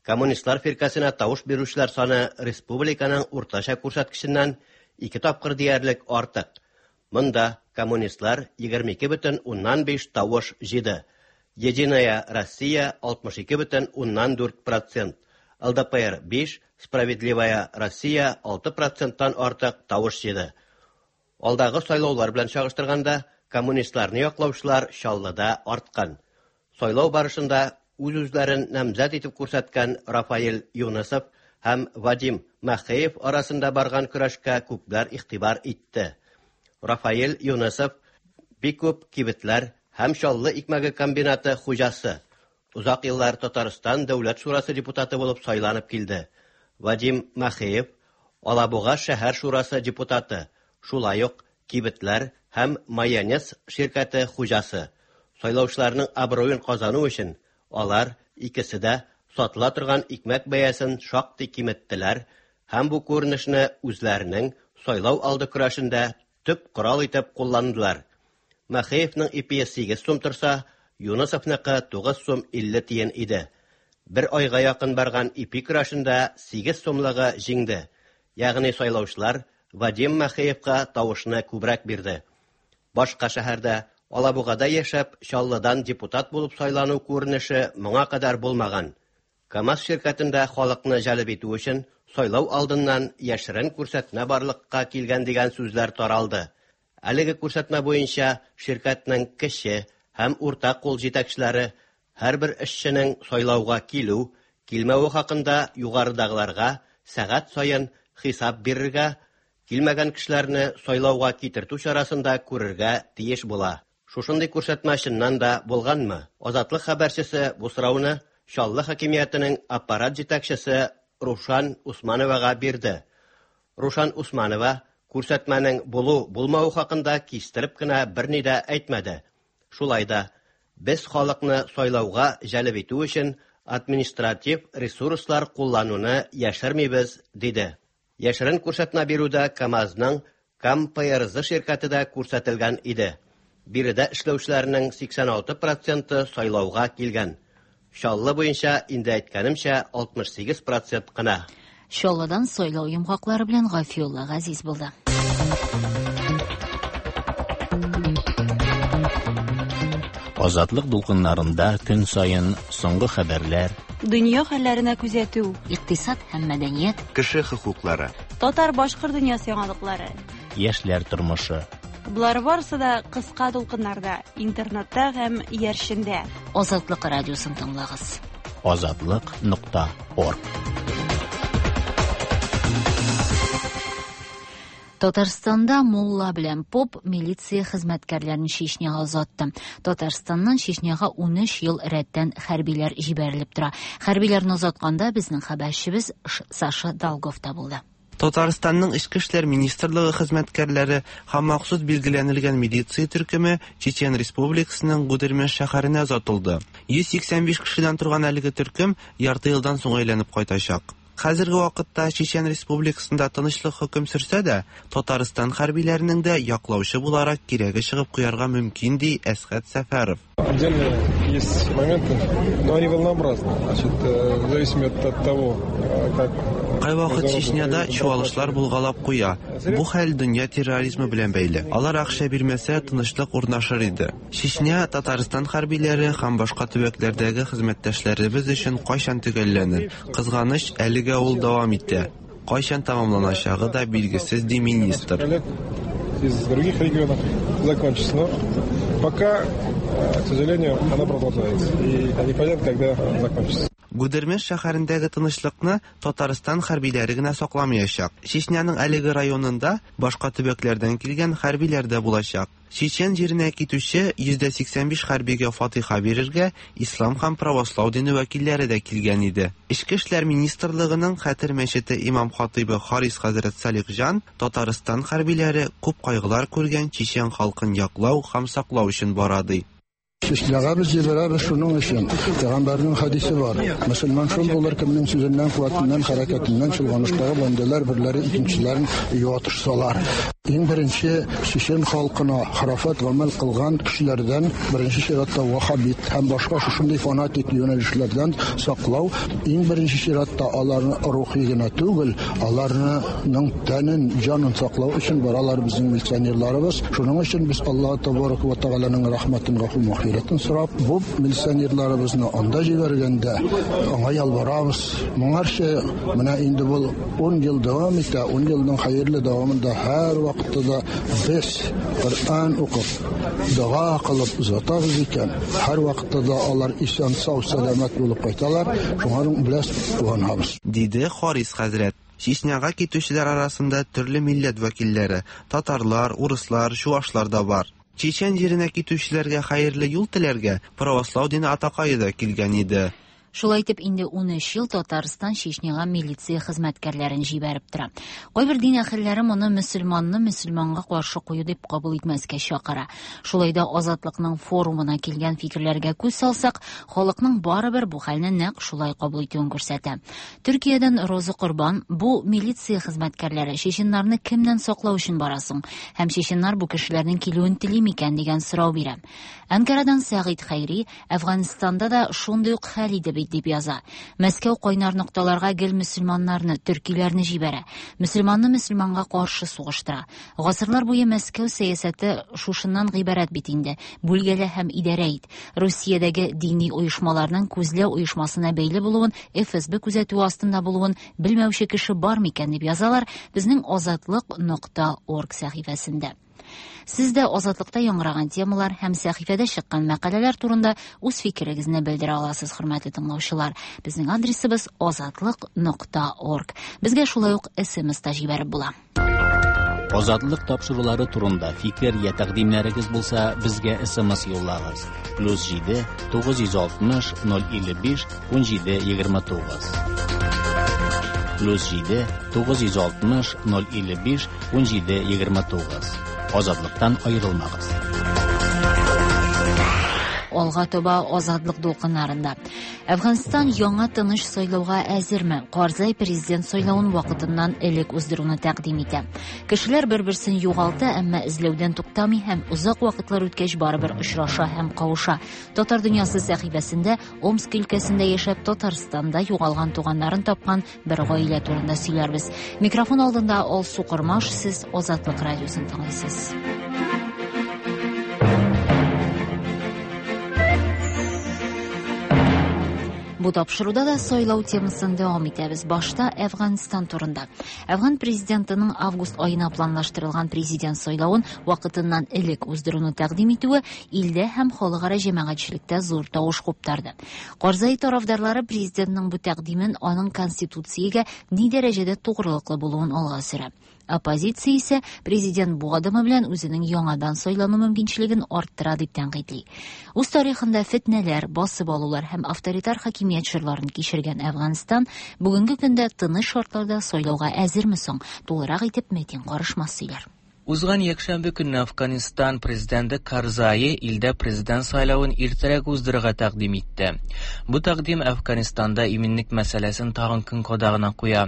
Коммунистлар фиркәсенә тавыш бирүчеләр саны республиканың уртача күрсәткеченнән ике тапкыр диярлек артык. Монда коммунистлар егерме ике бөтен уннан биш тавыш җыйды. Единая Россия алтмыш ике бөтен уннан дүрт процент, Л Д П Р биш, Справедливая Россия алты проценттан артык тавыш җыйды. Алдагы сайлаулар белән чагыштырганда коммунистларны яклаучылар Чаллыда арткан. Сайлау барышында үз-үзләрен намзәт итеп күрсәткән Рафаэль Юнысов һәм Вадим Махеев арасында барган көрәшкә күпләр игътибар итте. Рафаэль Юнысов бик күп кибетләр һәм Чаллы икмәге комбинаты хуҗасы. Узак еллар Татарстан Дәүләт шурасы депутаты булып сайланып килде. Вадим Махеев Алабуга шәһәр шурасы депутаты. Шулай ук кибетләр һәм майонез ширкәте хуҗасы. Сайлаучыларның абруен казану өчен алар икесе дә сатыла торган икмәк бәясен шактый киметтеләр һәм бу күренешне үзләренең сайлау алды көрәшендә төп корал итеп кулландылар. Махеевның ипие сигез сум торса, Юнысовныкы тугыз сум илле тиен иде. Бер айга якын барган ипи көрәшендә сигез сумлыгы җиңде. Ягъни сайлаучылар Вадим Махеевка тавышны күбрәк бирде. Башка шәһәрдә Алабугада яшәп, Чаллыдан депутат булып сайлану күренеше моңа кадәр булмаган. КАМАЗ ширкәтендә халыкны җәлеп итү өчен сайлау алдыннан яшерен күрсәтмә барлыкка килгән дигән сүзләр таралды. Әлеге күрсәтмә буенча ширкәтнең кече һәм урта кул җитәкчеләре һәрбер эшченең сайлауга килү, килмәве хакында югарыдагыларга сәгать саен хисап бирергә, килмәгән кешеләрне сайлауга китертү чарасында күрергә тиеш була. Шушындый күрсәтмә чыннан да булганмы? Азатлык хәбәрчесе бу сорауны Чаллы хакимиятенең аппарат җитәкчесе Рушан Усмановага бирде. Рушан Усманова күрсәтмәнең булу-булмавы хакында кистереп кенә берни дә әйтмәде. Шулай да без халыкны сайлауга җәлеп итү өчен административ ресурслар куллануны яшермибез, диде. Яшерен күрсәтмә бирүдә КАМАЗның КамПРЗ ширкәте дә күрсәтелгән иде. Биредә эшләүчеләрнең сиксән алты проценты сайлауга килгән. Чаллы буенча инде әйткәнемчә алтмыш сигез процент кына. Чаллыдан сайлау йомгаклары белән Гафиулла Газиз булды. Азатлык дулкыннарында көн саен соңгы хәбәрләр, дөнья хәлләренә күзәтү, икътисад һәм мәдәният, кеше хокуклары, татар-башкорт дөньясы яңалыклары, яшьләр тормышы. Болар барысы да кыска дулкыннарда, интернетта һәм иярчендә. Азатлык радиосын тыңлагыз. Азатлык нокта орг. Татарстанда мулла белән поп милиция хезмәткәрләрен Чечняга озатты. Татарстаннан Чечняга унөч ел рәттән хәрбиләр җибәрелеп тора. Хәрбиләрне озатканда безнең хәбәрчебез Саша Долгов та булды. Татарстанның Эчке эшләр министрлыгы хезмәткәрләре һәм махсус билгеләнелгән милиция төркеме Чечен Республикасының Гудермес шәһәренә озатылды. Йөз сиксән биш кешедән торган әлеге төркем ярты елдан соң әйләнеп кайтачак. Хәзерге вакытта Чечен Республикасында тынычлык хөкем сөрсә дә, Татарстан хәрбиләренең дә яклаучы буларак кирәге чыгып куярга мөмкин, ди Әсхәт Сәфәров. Отдельно есть моменты, но они волнообразны. Значит, в зависимости от того, как Кайвакыт Чечняда чуалышлар булгалап куя. Бу хәл дөнья терроризмы белән бәйле. Алар акча бирмәсә, тынычлык урнашыр иде. Чечня, Татарстан хәрбиләре һәм башка төбәкләрдәге хезмәттәшләребез өчен кайчан төгәлләнер? Кызганыч, әлегә ул дәвам итә. Кайчан тәмамланачагы да билгесез, ди министр. Из других регионов закончится, но пока, к сожалению, она продолжается. И непонятно, когда закончится. Гудермес шәһәрендәге тынычлыкны Татарстан хәрбиләре генә сакламаячак. Чечняның әлеге районында башка төбәкләрдән килгән хәрбиләр дә булачак. Чечен җиренә китүче йөздә сиксән биш хәрбигә фатиха бирергә ислам һәм правослау дине вәкилләре дә килгән иде. Эчке эшләр министрлыгының Хәтер мәчете имам хатыйбы Харис хәзрәт Салихҗан Татарстан хәрбиләре күп кайгылар күргән чечен халкын яклау һәм саклау өчен бара, ди. Чечняга без җибәрәбез шуның өчен. Пәйгамбәрнең хәдисе бар. Мөселман шул булыр, кемнең сүзеннән, куәтеннән, хәрәкәтеннән чолганыштагы бәндәләр берләре икенчеләрен юатышсалар. Иң беренче чечен халкына храфат гамәл кылган кешеләрдән, беренче чиратта ваххабит һәм башка шушындый фанатик юнәлешләрдән саклау, иң беренче чиратта аларны рухи гына түгел, аларның тәнен, җанын саклау өчен баралар безнең милиционерларыбыз. Шуның өчен без Аллаһ табарак ва тәгаләнең рәхмәтен, гафу мөхирәтен сорап, бу милиционерларыбызны анда җибәргәндә аңа ялварабыз. Моңарчы менә инде бу ун ел дәвам итә, ун елның хәерле дәвамында һәр вакытта да без Коръән укып, дога кылып озатабыз икән, һәр вакытта да алар исән, сау, сәламәт булып кайталар. Шуңа белән куанабыз, диде Харис хәзрәт. Чечняга китүчеләр арасында төрле милләт вәкилләре, татарлар, урыслар, чуашлар да бар. Чечен җиренә китүчеләргә хәерле юл теләргә правослау дине атакае да килгән иде. Шулай итеп, инде унөч ел Татарстан Чечняга милиция хезмәткәрләрен җибәреп тора. Кайбер дин әһелләре моны мөселманны мөселманга каршы кую дип кабул итмәскә чакыра. Шулай да Азатлыкның форумына килгән фикерләргә күз салсак, халыкның барыбер бу хәлне нәкъ шулай кабул итүен күрсәтә. Төркиядән Роза Корбан: бу милиция хезмәткәрләре чеченнарны кемнән саклау өчен барасың һәм чеченнар бу кешеләрнең килүен тели микән дигән сорау бирә. Анкарадан Сәгыйть Хәйри: Әфганстанда да шундый ук хәл иде бит, дип яза. Мәскәү кайнар нокталарга гел мөселманнарны, төркиләрне җибәрә. Мөселманны мөселманга каршы сугыштыра. Гасырлар буе Мәскәү сәясәте шушыннан гыйбарәт бит инде. Бүлгәлә һәм идарә ит. Русиядәге дини оешмаларның күзләү оешмасына бәйле булуын, Эф Эс Б күзәтүе астында булуын белмәүче кеше бар микән дип язалар безнең азатлык нокта орг сәхифәсендә. Сез дә Азатлыкта яңгыраган темалар һәм сәхифәдә чыккан мәкаләләр турында үз фикерегезне белдерә аласыз, хөрмәтле тыңлаучылар. Безнең адресыбыз азатлык нокта орг. Безгә шулай ук эс эм эс та җибәреп була. Азатлык тапшырулары турында фикер я тәкъдимнәрегез булса, безгә эс эм эс юллагыз. Плюс җиде тугыз йөз алтмыш ноль илле биш ун җиде егерме тугыз. Плюс җиде тугыз йөз алтмыш ноль илле биш ун җиде егерме тугыз. Азатлыктан аерылмагыз. Алга таба Азатлык дулкыннарында. Әфганстан яңа тыныч сайлауга әзерме? Карзай президент сайлавын вакытыннан элек уздыруны тәкъдим итә. Кешеләр бер-берсен югалта, әмма эзләүдән туктамый һәм озак вакытлар үткәч барыбер очраша һәм кавыша. Татар дөньясы сәхифәсендә Омск өлкәсендә яшәп Татарстанда югалган туганнарын тапкан бер гаилә турында сөйләрбез. Микрофон алдында Алсу Кормаш, сез Азатлык радиосын тыңлыйсыз. Бу тапшыруда да сайлау темасын дәвам итәбез. Башта Әфганстан турында. Әфган президентының август аена планлаштырылган президент сайлавын вакытыннан элек уздыруны тәкъдим итүе илдә һәм халыкара җәмәгатьчелектә зур тавыш куптарды. Карзай тарафдарлары президентның бу тәкъдимен аның конституциягә ни дәрәҗәдә тугрылыклы булуын алга сөрә. Оппозиция исә президент бу адымы белән үзенең яңадан сайлану мөмкинчелеген арттыра дип тәнкыйтьли. Үз тарихында фетнәләр, басып алулар һәм авторитар хакимият чорларын кичергән Әфганстан бүгенге көндә тыныч шартларда сайлауга әзерме соң? Тулырак итеп Метин Карышмас сөйләр. Узган якшәмбе көнне Афганистан президенты Карзай илдә президент сайлавын иртәрәк уздырырга тәкъдим итте. Бу тәкъдим Афганистанда иминлек мәсьәләсен тагын көн кадагына куя.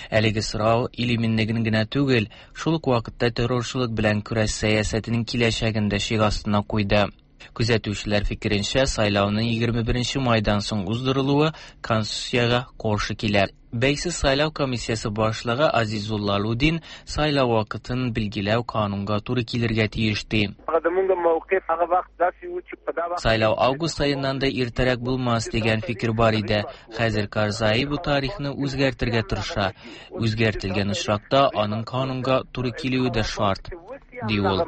Әлеге сорау ил иминлеген генә түгел, шул ук вакытта террорчылык белән көрәш сәясәтенең киләчәген дә шик астына куйды. Күзәтүчеләр фикеренчә, сайлауның егерме беренче майдан соң уздырылуы конституциягә каршы килә. Бәйсез сайлау комиссиясе башлыгы Азизулла Лудин сайлау вакытын билгеләү канунга туры килергә тиеш ди. Сайлау август аеннан да иртәрәк булмас дигән фикер бар иде. Хәзер Карзай бу тарихны үзгәртергә тырыша. Үзгәртелгән очракта аның канунга туры килүе дә шарт, ди ул.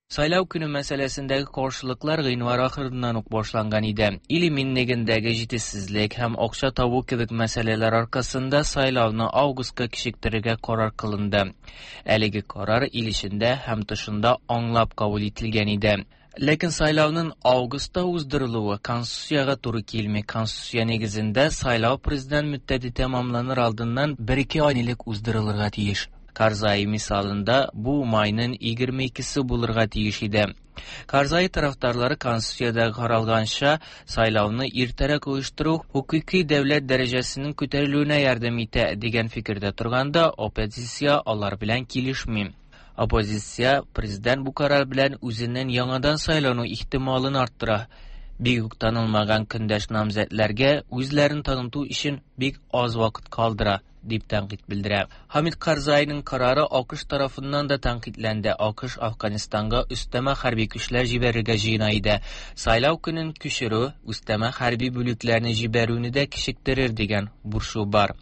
Сайлау көне мәсьәләсендәге каршылыклар гыйнвар ахырыннан ук башланган иде. Ил иминлегендәге җитешсезлек һәм акча табу кебек мәсьәләләр аркасында сайлауны августка кичектерергә карар кылынды. Әлеге карар ил эчендә һәм тышында аңлап кабул ителгән иде. Ләкин сайлауның августта уздырылуы конституциягә туры килми. Конституция нигезендә сайлау президент мөддәте тәмамланыр алдыннан бер-ике ай элек уздырылырга тиеш. Карзай мисалында бу майның егерме икесе булырга тиеш иде. Карзай тарафдарлары конституциядә каралганча сайлауны иртәрәк оештыру хукуки дәүләт дәрәҗәсенең күтәрелүенә ярдәм итә дигән фикердә торганда, оппозиция алар белән килешми. Оппозиция президент бу карар белән үзенең яңадан сайлану ихтималын арттыра. Бик үк танылмаган көндәш намзәтләргә үзләрен таныту өчен бик аз вакыт калдыра, дип тәнкыйть белдерә. Хамид Карзайның карары АКШ тарафыннан да тәнкыйтьләнде. АКШ Афганистанга өстәмә хәрби көчләр җибәрергә җыена иде. Сайлау көнен күчерү өстәмә хәрби бүлекләрне җибәрүне дә кичектерер дигән борчу бар.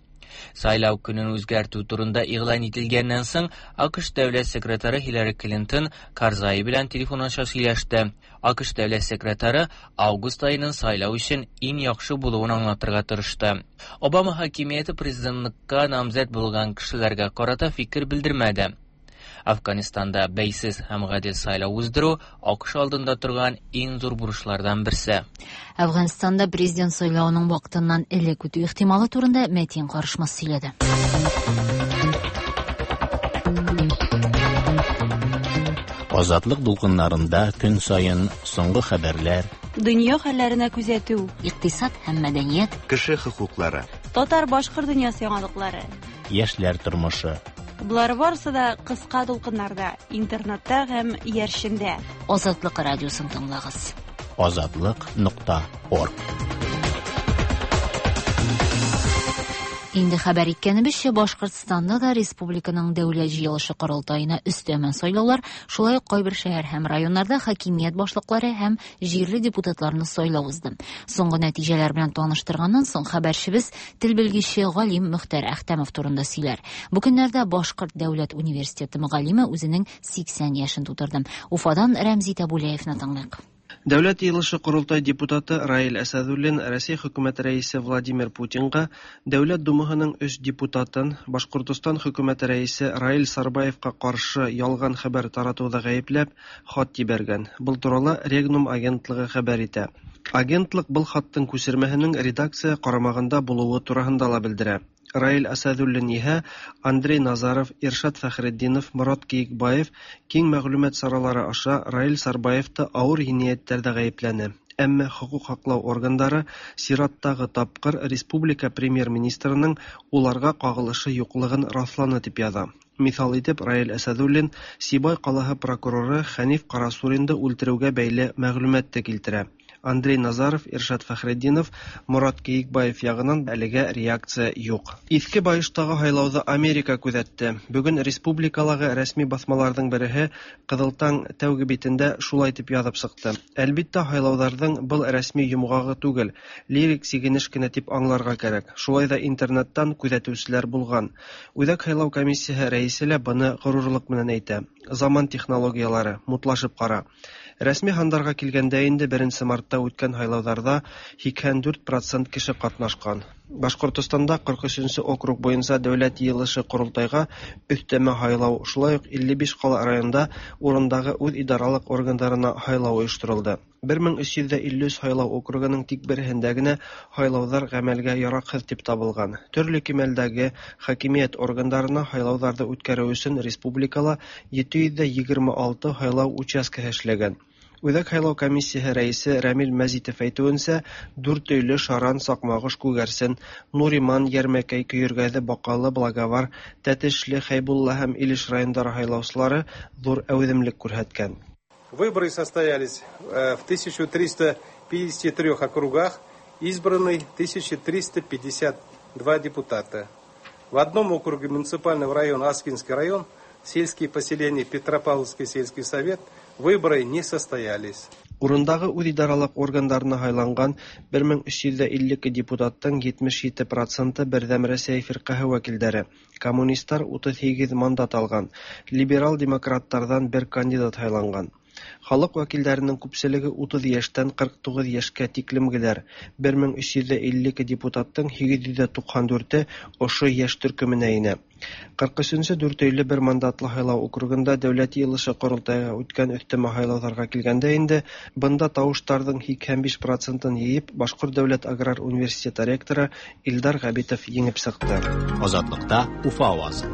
Сайлау көнен үзгәртү турында игълан ителгәннән соң АКШ дәүләт секретаре Хиллари Клинтон Карзай белән телефон аша сөйләште. АКШ дәүләт секретаре август аеның сайлау өчен иң яхшы булуын аңлатырга тырышты. Обама хакимияте президентлыкка намзәт булган кешеләргә карата фикер белдермәде. Афганистанда бәйсез һәм гадел сайлау уздыру АКШ алдында торган иң зур бурычлардан берсе. Әфганстанда президент сайлавының вакытыннан элек үтү ихтималы турында Мәтин Карышмас сөйләде. Азатлык дулкыннарында көн саен соңгы хәбәрләр, дөнья хәлләренә күзәтү, икътисад һәм мәдәният, кеше хокуклары, татар-башкорт дөньясы яңалыклары, яшьләр тормышы. Болар барысы да кыска дулкыннарда, интернетта һәм иярчендә. Азатлык радиосын тыңлагыз. Азатлык нокта орг. Инде хәбәр иткәнебезчә, Башкортстанда да республиканың дәүләт җыелышы корылтаена өстәмә сайлаулар, шулай ук кайбер шәһәр һәм районнарда хакимият башлыклары һәм җирле депутатларны сайлау узды. Соңгы нәтиҗәләр белән таныштырганнан соң хәбәрчебез тел белгече галим Мөхтәр Әхтәмов турында сөйләр. Бу көннәрдә Башкорт дәүләт университеты мөгаллиме үзенең сиксән яшен тутырды. Уфадан Рәмзи Табулаевны тыңлыйк. Дәүләт йыелышы корылтай депутаты Раил Әсәдуллин Россия хөкүмәте рәисе Владимир Путинга Дәүләт Думаһының өч депутатын Башкортостан хөкүмәте рәисе Раил Сарбаевка каршы ялган хәбәр таратуда гаепләп хат җибәргән. Был туралы Регнум агентлыгы хәбәр итә. Агентлык был хаттың күсермәһенең редакция карамагында булуы тураһында ла белдерә. Раил Асадуллин иһә Андрей Назаров, Иршат Фәхретдинов, Морат Киекбаев киң мәгълүмат саралары аша Раил Сарбаевты ауыр енаяттәрҙә ғәйепләне. Әммә хокук һаҡлау органдары сираттағы тапҡыр республика премьер-министрының уларға ҡағылышы юҡлығын раҫланы тип яҙа. Миҫал итеп Раил Әсәҙуллин Сибай ҡалаһы прокуроры Хәниф Ҡарасуринды үлтереүгә бәйле мәғлүмәтте килтерә. Андрей Назаров, Иршат Фәхретдинов, Морат Кейикбаев яғынан әлегә реакция юҡ. Иҫке Байыштағы һайлауҙы Америка күҙәтте. Бөгөн республикалағы рәсми баҫмаларҙың береһе Ҡыҙыл таң тәүге битендә шулай тип яҙып сыҡты. Әлбиттә, һайлауҙарҙың был рәсми йомғағы түгел, лирик сигенеш кенә тип аңларға кәрәк. Шулай ҙа интернеттан күҙәтеүселәр булған. Үҙәк һайлау комиссияһы рәйесе лә быны ғорурлыҡ менән әйтә. Заман технологиялары, мутлашып ҡара. Рәсми һандарға килгәндә инде беренсе мартта үткән һайлауҙарҙа һикһән дүрт процент кеше ҡатнашҡан. Башҡортостанда ҡырҡ өсөнсө округ буйынса дәүләт йыйылышы ҡоролтайға өҫтәмә һайлау, шулай уҡ илле биш ҡала районда урындағы үҙ идаралыҡ органдарына һайлау ойошторолдо. Бер мең өс йөҙ илле өс һайлау округының тик береһендә генә һайлауҙар ғәмәлгә яраҡһыҙ тип табылған. Төрлө кимәлдәге хакимиәт органдарына һайлауҙарҙы үткәреү өсөн республикала ете йөҙ егерме алты һайлау участкаһы эшләгән. Үҙәк һайлау комиссияһы рәйесе Рәмил Мәзитов әйтеүенсә, Дүртөйлө, Шаран, Саҡмағош, Күгәрсен, Нуриман, Йәрмәкәй, Көйөргәҙе, Баҡалы, Благовар, Тәтешле, Хәйбулла һәм Илеш райондары һайлаусылары ҙур әүҙемлек күрһәткән. Выборы состоялись в тысяча триста пятидесяти трёх округах, избраны тысяча триста пятьдесят два депутата. В одном округе муниципального района Аскинский район, сельские поселения Петропавловский сельский совет, выборы не состоялись. Урындағы үҙ идаралыҡ органдарына һайланған бер мең өс йөҙ илле ике депутаттың етмеш ете проценты Берҙәм Рәсәй фирҡәһе вәкилдәре. Коммунистар утыҙ һигеҙ мандат алған, либерал-демократтарҙан бер кандидат һайланған. Халыҡ вәкилдәренең күпселеге утыҙ йәштән ҡырҡ туғыҙ йәшкә тиклемгеләр. Бер мең өс йөҙ илле ике депутаттың һигеҙ йөҙ туҡһан дүрте ошо йәш төркөмөнә инә. Ҡырҡ өсөнсө Дүртөйлө бер мандатлы һайлау округында дәүләт йыйылышы ҡоролтайға үткән өҫтәмә һайлауҙарға килгәндә инде бында тауыштарҙың һикһән биш процентын йыйып Башҡорт дәүләт аграр университеты ректоры Илдар Ғәбитов еңеп сыҡты. Азатлыҡта Уфа ауазы.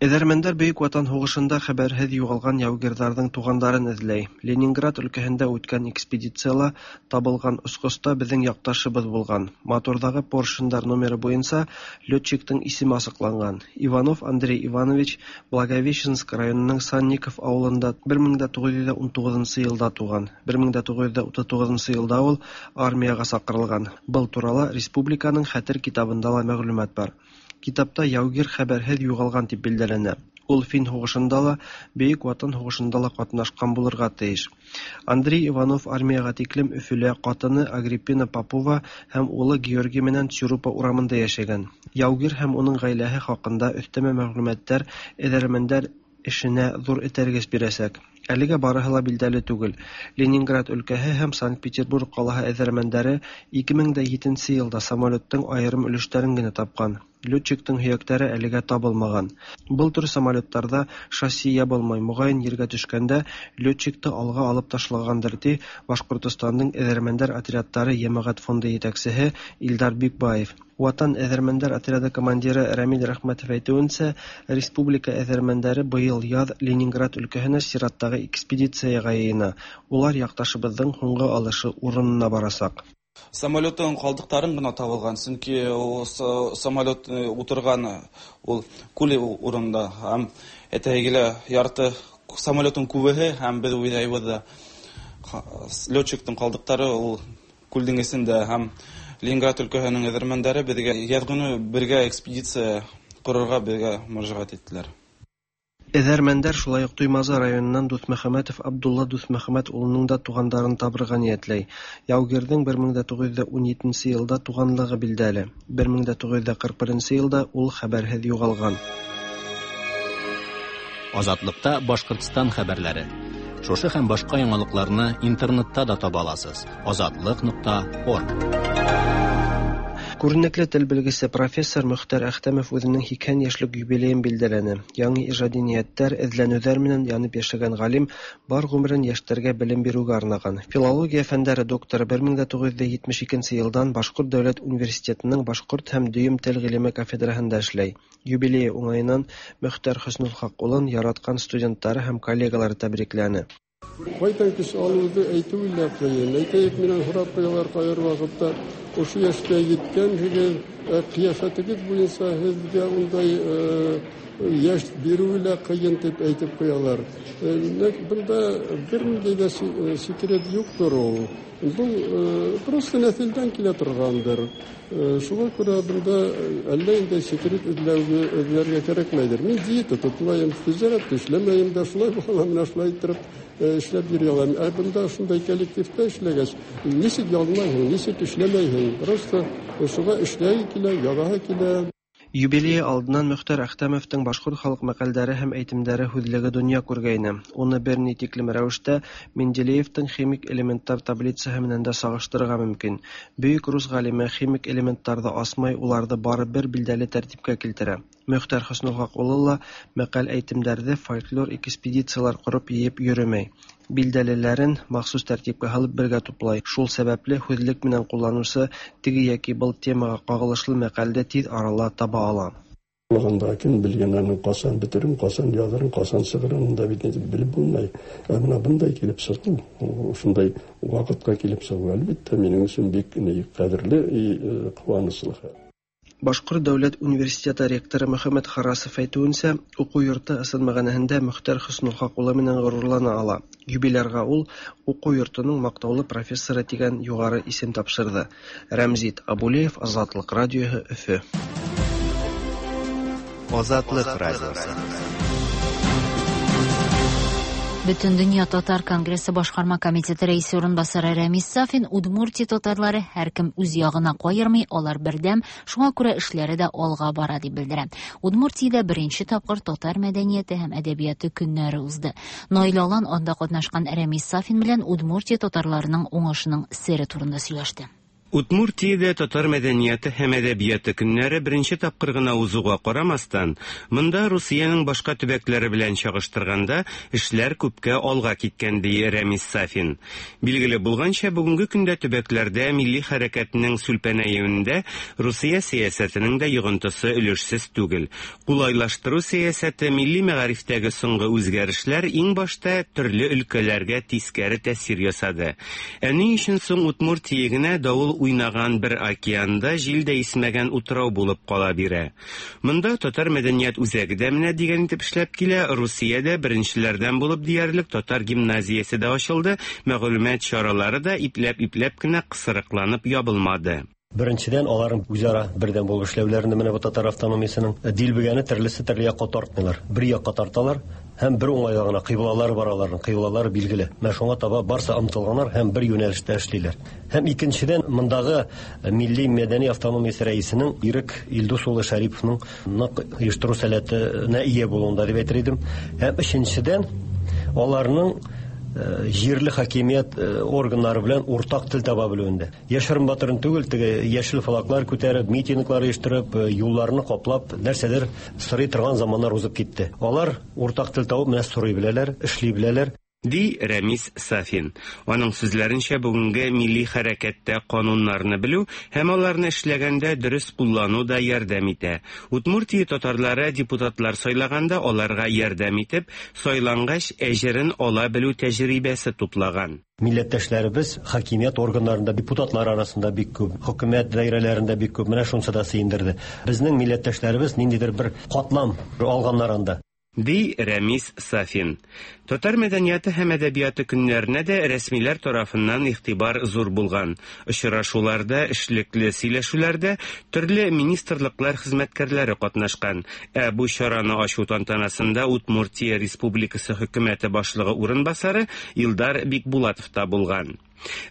Эҙәрмәндәр Бөйөк Ватан һуғышында хәбәрһеҙ юғалған яугирҙарҙың туғандарын эҙләй. Ленинград өлкәһендә үткән экспедицияла табылған осҡоста беҙҙең яҡташыбыҙ булған. Моторҙағы поршендар номеры буйынса летчиктың исеме асыҡланған. Иванов Андрей Иванович Благовещенск районының Санников ауылында бер мең туғыҙ йөҙ ун туғыҙынсы йылда туған. Бер мең туғыҙ йөҙ утыҙ туғыҙынсы йылда ул армияға саҡырылған. Был турала республиканың хәтер китабында ла мәғлүмәт бар. Китапта яугир хәбәрһеҙ юғалған тип билдәләнә. Ул Фин һуғышында ла, Бөйөк Ватан һуғышында ла ҡатнашҡан булырға тейеш. Андрей Иванов армияға тиклем Өфөлә ҡатыны Агриппина Попова һәм улы Георгий менән Цюрупа урамында йәшәгән. Яугир һәм уның ғаиләһе хаҡында өҫтәмә мәғлүмәттәр эҙәрмәндәр эшенә ҙур этәргес бирәсәк. Әлегә барыһы ла билдәле түгел. Ленинград өлкәһе һәм Санкт-Петербург ҡалаһы эҙәрмәндәре ике мең дә етенсе йылда самолеттың айырым өлөштәрен генә тапҡан. Летчиктың һөйәктәре әлегә табылмаған. Был төр самолеттарҙа шасси ябылмай, моғайын ергә төшкәндә летчикты алға алып ташлағандыр, ти Башҡортостандың эҙәрмәндәр отрядтары йәмәғәт фонды етәксеһе Илдар Бикбаев. Ватан эҙәрмәндәр отряды командиры Рәмил Рәхмәтов әйтеүенсә, республика эҙәрмәндәре быйыл яҙ Ленинград өлкәһенә сираттағы экспедицияға йыйына. Улар яҡташыбыҙҙың һуңғы алышы урынына барасаҡ. Самолеттың ҡалдыҡтарын ғына табылған, сөнки ул самолет ултырған ул күл урында, һәм әтәйгелә ярты самолеттың күбеһе, һәм беҙ уйлайбыҙ да летчиктың ҡалдыҡтары ул күлдең эсендә, һәм Ленинград өлкәһенең эҙәрмәндәре беҙгә яҙ көнө бергә экспедиция ҡорорға беҙгә мөрәжәғәт иттеләр. Эҙәрмәндәр шулай уҡ Туймазы районынан Дуҫмөхәмәтов Абдулла Дуҫмөхәмәт улының да туғандарын табырға ниәтләй. Яугирҙең бер мең туғыҙ йөҙ ун етенсе йылда туғанлығы билдәле. Бер мең туғыҙ йөҙ ҡырҡ беренсе йылда ул хәбәрһеҙ юғалған. Азатлыҡта Башҡортостан хәбәрләре. Шушы һәм башҡа яңалыҡларны интернетта да таба аласыз. Азатлыҡ нуҡта орг. Күренекле тел белгесе профессор Мөхтәр Әхтәмов үзенең һикһән яшьлек юбилеен билдәләне. Яңы ижади ниәттәр, эҙләнеүҙәр менән янып йәшәгән ғалим бар ғүмерен йәштәргә белем биреүгә арнаған. Филология фәндәре докторы бер мең дә туғыҙ йөҙ етмеш икенсе йылдан Башҡорт дәүләт университетының башҡорт һәм дөйөм тел ғилеме кафедраһында эшләй. Юбилейы уңайынан Мөхтәр Хөснөлхаҡ улын яратҡан студенттары һәм коллегалары тәбрикләне. Ҡайҙан көс алыуҙы әйтеүе лә ҡыйын. Әйтәйек, минән һорап ҡуялар ҡайһы ваҡытта, ошо йәшкә еткәнһегеҙ, ҡиәфәтегеҙ буйынса һеҙгә ундай йәш биреүе лә ҡыйын тип әйтеп ҡуялар. Бында бер ниндәй ҙә секрет юҡтыр ул. Был просто нәҫелдән килә торғандыр. Шуға күрә бында әллә инде секрет эҙләүгә эҙләргә кәрәкмәйҙер. Мин диета тотмайым, тижәрәт эшләмәйем дә, шулай була, менә шулай иттереп эшләп йөрөй алам. Ә бында шундай коллективта эшләгәс, нисек ялмайһың, нисек эшләмәйһең? Просто шуға эшләй килә, яҙаһы килә. Юбилейы алдынан Мөхтәр Әхтәмовтың башҡорт халыҡ мәҡәлдәре һәм әйтемдәре һүҙлеге донъя күргәйне. Уны бер ни тиклем рәүештә Менделеевтың химик элементтар таблицаһы менән дә сағыштырырға мөмкин. Бөйөк рус ғалимы химик элементтарҙы асмай, уларҙы бары бер билдәле тәртипкә килтерә. Мөхтәр Хөснөлхаҡ улы ла мәҡәл әйтемдәрҙе фольклор экспедициялар ҡороп йыйып йөрөмәй. Билдәлеләрен махсус тәртипкә һалып бергә туплай. Шул сәбәпле һүҙлек менән ҡулланыусы теге йәки был темаға ҡағылышлы мәҡәлде тиҙ арала таба ала. Булғанда кем белгән аның ҡасан бөтөрөн, ҡасан яҙырын, ҡасан сығырын, унда бит нитеп белеп булмай. Ә бына бындай килеп сығыу, ошондай ваҡытҡа килеп сығыу, әлбиттә, минең өсөн бик ҡәҙерле ҡыуаныслы хәл. Башҡорт дәүләт университеты ректоры Мөхәммәт Харасов әйтеүенсә, уҡыу йорто ысын мәғәнәһендә Мөхтәр Хөснөлхаҡ улы менән ғорурлана ала. Юбилярға ул уҡыу йортоноң маҡтаулы профессоры тигән юғары исем тапшырҙы. Рәмзит Абулеев, Азатлыҡ радиоһы, Өфө. Азатлыҡ радиоһы. Бөтендөнья татар конгрессы башҡарма комитеты рәисе урынбасары Рәмис Сафин Удмуртия татарлары һәр кем үҙ яғына ҡайырмай, алар берҙәм, шуңа күрә эшләре дә алға бара дип белдерә. Удмуртиядә беренсе тапҡыр татар мәдәниәте һәм әҙәбиәте көннәре узды. Наил Алан анда ҡатнашҡан Рәмис Сафин белән Удмуртия татарларының уңышының сере турында һөйләште. Удмуртиядә татар мәдәниәте һәм әҙәбиәте көннәре беренсе тапҡыр ғына узыуға ҡарамаҫтан, мында Русияның башҡа төбәктәре белән сағыштырғанда эшләр күпкә алға киткән, ди Рәмис Сафин. Билгеле булғанса, бөгөнгө көндә төбәкләрҙә милли хәрәкәтенең сүлпәнәйеүендә Русия сәйәсәтенең дә йоғонтоһо өлөшһөҙ түгел. Ҡулайлаштырыу сәйәсәте, милли мәғарифтәге соңғы үҙгәрешләр иң башта төрлө өлкәләргә тиҫкәре тәьҫир яһаны. Ә ни өсөн соң Удмуртия генә дауыл уйнаған бер океанда җил дә исмәгән утрау булып кала бирә? Монда татар мәдәният үзәге дә менә дигән итеп эшләп килә. Русиядә беренчеләрдән булып диярлек татар гимназиясе дә ачылды, мәгълүмат чаралары да ипләп-ипләп кенә кысрыкланып ябылмады. Беренчедән, аларның үзара бердәм булып эшләүләрендә менә бу татар автономиясенең дилбегәне төрлесе төрле якка тартмыйлар. Бер якка тарталар һәм бер уңайга гына кыйблалары бар аларның, кыйблалары билгеле. Менә шуңа таба барса омтылганнар һәм бер юнәлештә эшлиләр. Һәм икенчедән, мондагы милли мәдәни автономиясе рәисенең Ирек Илдус улы Шариповның нык оештыру сәләтенә ия булуында дип әйтер идем. Һәм өченчедән, аларның җирле хакимият органнары белән уртак тел таба белүендә. Яшерен батырын түгел, теге яшел флаглар күтәреп, митинглар оештырып, юлларны каплап, нәрсәдер сорый торган заманнар узып китте. Алар уртак тел табып, менә сорый беләләр, эшли беләләр. Ди Рәмис Сафин. Аның сүзләренчә, бүгенге милли хәрәкәттә кануннарны белү һәм аларны эшләгәндә дөрес куллану да ярдәм итә. Удмуртия татарлары депутатлар сайлаганда аларга ярдәм итеп, сайлангач әҗерен ала белү тәҗрибәсе туплаган. Милләттәшләребез хакимият органнарында, депутатлар арасында бик күп, хөкүмәт даирәләрендә бик күп. Менә шунысы да сөендерде. Безнең милләттәшләребез ниндидер бер катлам алганнар анда. Ди Рәмис Сафин. Татар мәдәнияте һәм әдәбияты көннәренә дә рәсмиләр тарафыннан игътибар зур булган. Очрашуларда, эшлекле сөйләшүләрдә төрле министрлыклар хезмәткәрләре катнашкан. Ә бу чараны ачу тантанасында Удмуртия Республикасы хөкүмәте башлыгы урынбасары Илдар Бикбулатов та булган.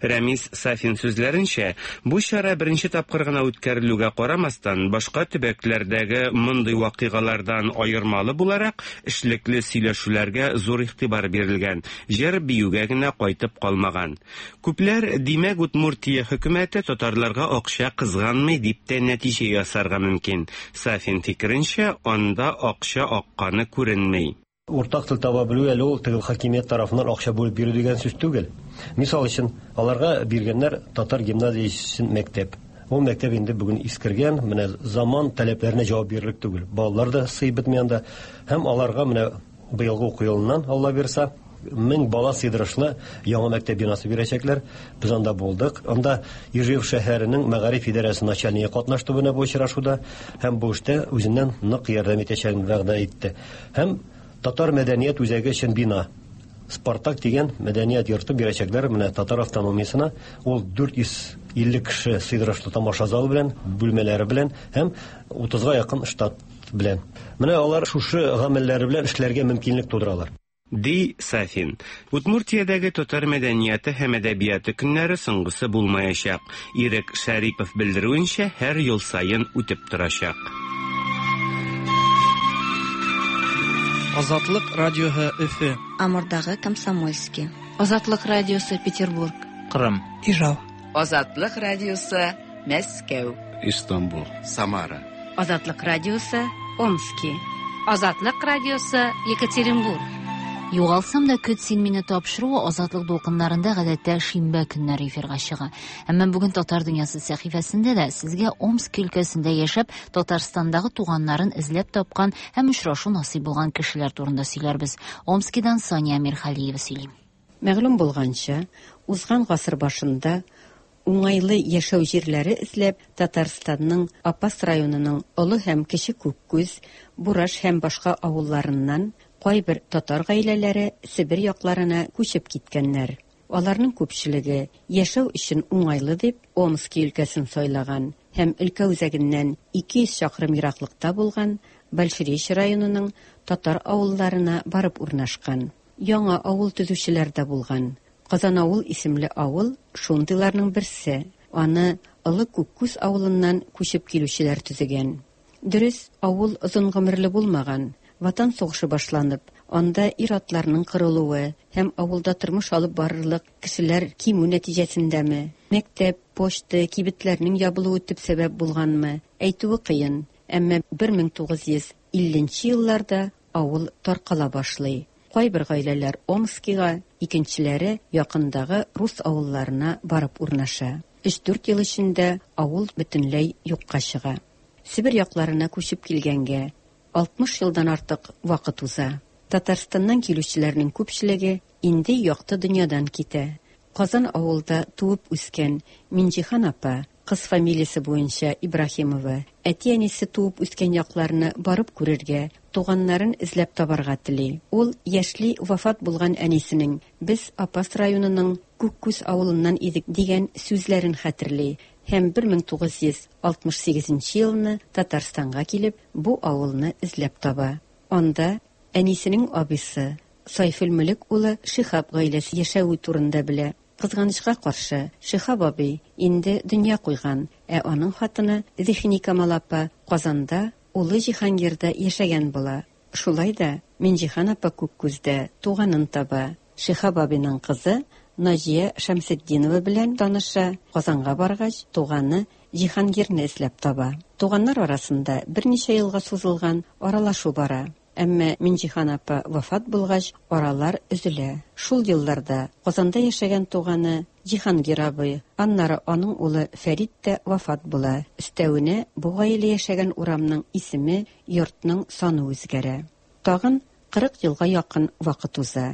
Рәмис Сафин сүзләренчә, бу чара беренче тапкыр гына үткәрелүгә карамастан, башка төбәкләрдәге мондый вакыйгалардан аермалы буларак, эшлекле сөйләшүләргә зур игътибар бирелгән, җыр-биюгә генә кайтып калмаган. Күпләр, димәк, Удмуртия хөкүмәте татарларга акча кызганмый дип тә нәтиҗә ясарга мөмкин. Сафин фикеренчә, анда акча акканы күренми. Уртак тел таба белү әле ул теге хакимият тарафыннан акча бүлеп бирү дигән сүз түгел. Мисал өчен, аларга биргәннәр татар гимназиясе өчен мәктәп. Ул мәктәп инде бүген искергән, менә заман таләпләренә җавап бирерлек түгел. Балалар да сыеп бетми анда. Һәм аларга менә быелгы уку елыннан, Алла бирса, мең бала сыйдырышлы яңа мәктәп бинасы бирәчәкләр. Без анда булдык. Анда Ижев шәһәренең мәгариф идарәсе начальнигы катнашты менә бу очрашуда һәм бу эштә үзеннән нык ярдәм итәчәген вәгъдә итте. Һәм татар мәдәният үзәге өчен бина. Спартак дигән мәдәният йорты бирәчәкләр менә татар автономиясенә. Ул дүрт йөз илле кеше сыйдырышлы тамаша залы белән, бүлмәләре белән һәм утызга якын штат белән. Менә алар шушы гамәлләре белән эшләргә мөмкинлек тудыралар. Ди Сафин. Удмуртиядәге татар мәдәнияте һәм әдәбияты көннәре соңгысы булмаячак. Ирек Шәрипов белдерүенчә, һәр ел саен үтеп торачак. Азатлык радиоһы Өфе. Амурдагы Комсомольский. Азатлык радиосы Петербург. Кырым. Ижау. Азатлык радиосы Мәскәү. Истанбул. Самара. Азатлык радиосы Омски. Азатлык радиосы Екатеринбург. Югалсам да көт син мине тапшыруы Азатлык дулкыннарында гадәттә шимбә көннәре эфирга чыга. Әмма бүген Татар дөньясы сәхифәсендә дә сезгә Омск өлкәсендә яшәп, Татарстандагы туганнарын эзләп тапкан һәм очрашу насыйп булган кешеләр турында сөйләрбез. Омскидан Сания Мирхалиева сөйли. Мәгълүм булганча, узган гасыр башында уңайлы яшәү җирләре эзләп Татарстанның Апас районының Олы һәм Кече Күккүз, Бураш һәм башка авылларыннан кайбер татар гаиләләре Себер якларына күчеп киткәннәр. Аларның күпчелеге яшәү өчен уңайлы дип Омски өлкәсен сайлаган һәм өлкә үзәгеннән ике йөз чакрым ераклыкта булган Большеречье районының татар авылларына барып урнашкан. Яңа авыл төзүчеләр дә булган. Казан авыл исемле авыл шундыйларның берсе. Аны Олы Күккүз авылыннан күчеп килүчеләр төзегән. Дөрес, авыл озын гомерле булмаган. Ватан сугышы башланып, анда ир-атларның кырылуы һәм авылда тормыш алып барырлык кешеләр кимү нәтиҗәсендәме, мәктәп, почта, кибетләрнең ябылуы төп сәбәп булганмы, әйтүе кыен. Әмма бер мең тугыз йөз илленче елларда авыл таркала башлый. Кайбер гаиләләр Омскига, икенчеләре якындагы рус авылларына барып урнаша. Өч-дүрт ел эчендә авыл бөтенләй юкка чыга. Себер якларына күчеп килгәнгә алтмыш елдан артык вакыт уза. Татарстаннан килүчеләрнең күпчелеге инде якты дөньядан китә. Казан авылда туып үскән Минҗихан апа, кыз фамилиясе буенча Ибраһимова, әти-әнисе туып үскән якларны барып күрергә, туганнарын эзләп табарга тели. Ул яшьли вафат булган әнисенең «Без Апас районының Күккүз авылыннан идек» дигән сүзләрен хәтерли һәм бер мең тугыз йөз алтмыш сигезенче елны Татарстанга килеп, бу авылны эзләп таба. Анда әнисенең абыйсы Сайфулмөлек улы Шихаб гаиләсе яшәве турында белә. Кызганычка каршы, Шихаб абый инде дөнья куйган, ә аның хатыны Зихникамал апа Казанда улы Җиһангирда яшәгән була. Шулай да Минҗихан апа Күккүздә туганын таба. Шихаб абыйның кызы Наҗия Шәмсетдинова белән таныша, Казанга баргач, туганы Җиһангирны эзләп таба. Туганнар арасында берничә елга сузылган аралашу бара. Әмма Минҗихан апа вафат булгач, аралар өзелә. Шул елларда Казанда яшәгән туганы Җиһангир абый, аннары аның улы Фәрит тә вафат була. Өстәвенә бу гаилә яшәгән урамның исеме, йортның саны үзгәрә. Тагын кырык елга якын вакыт уза.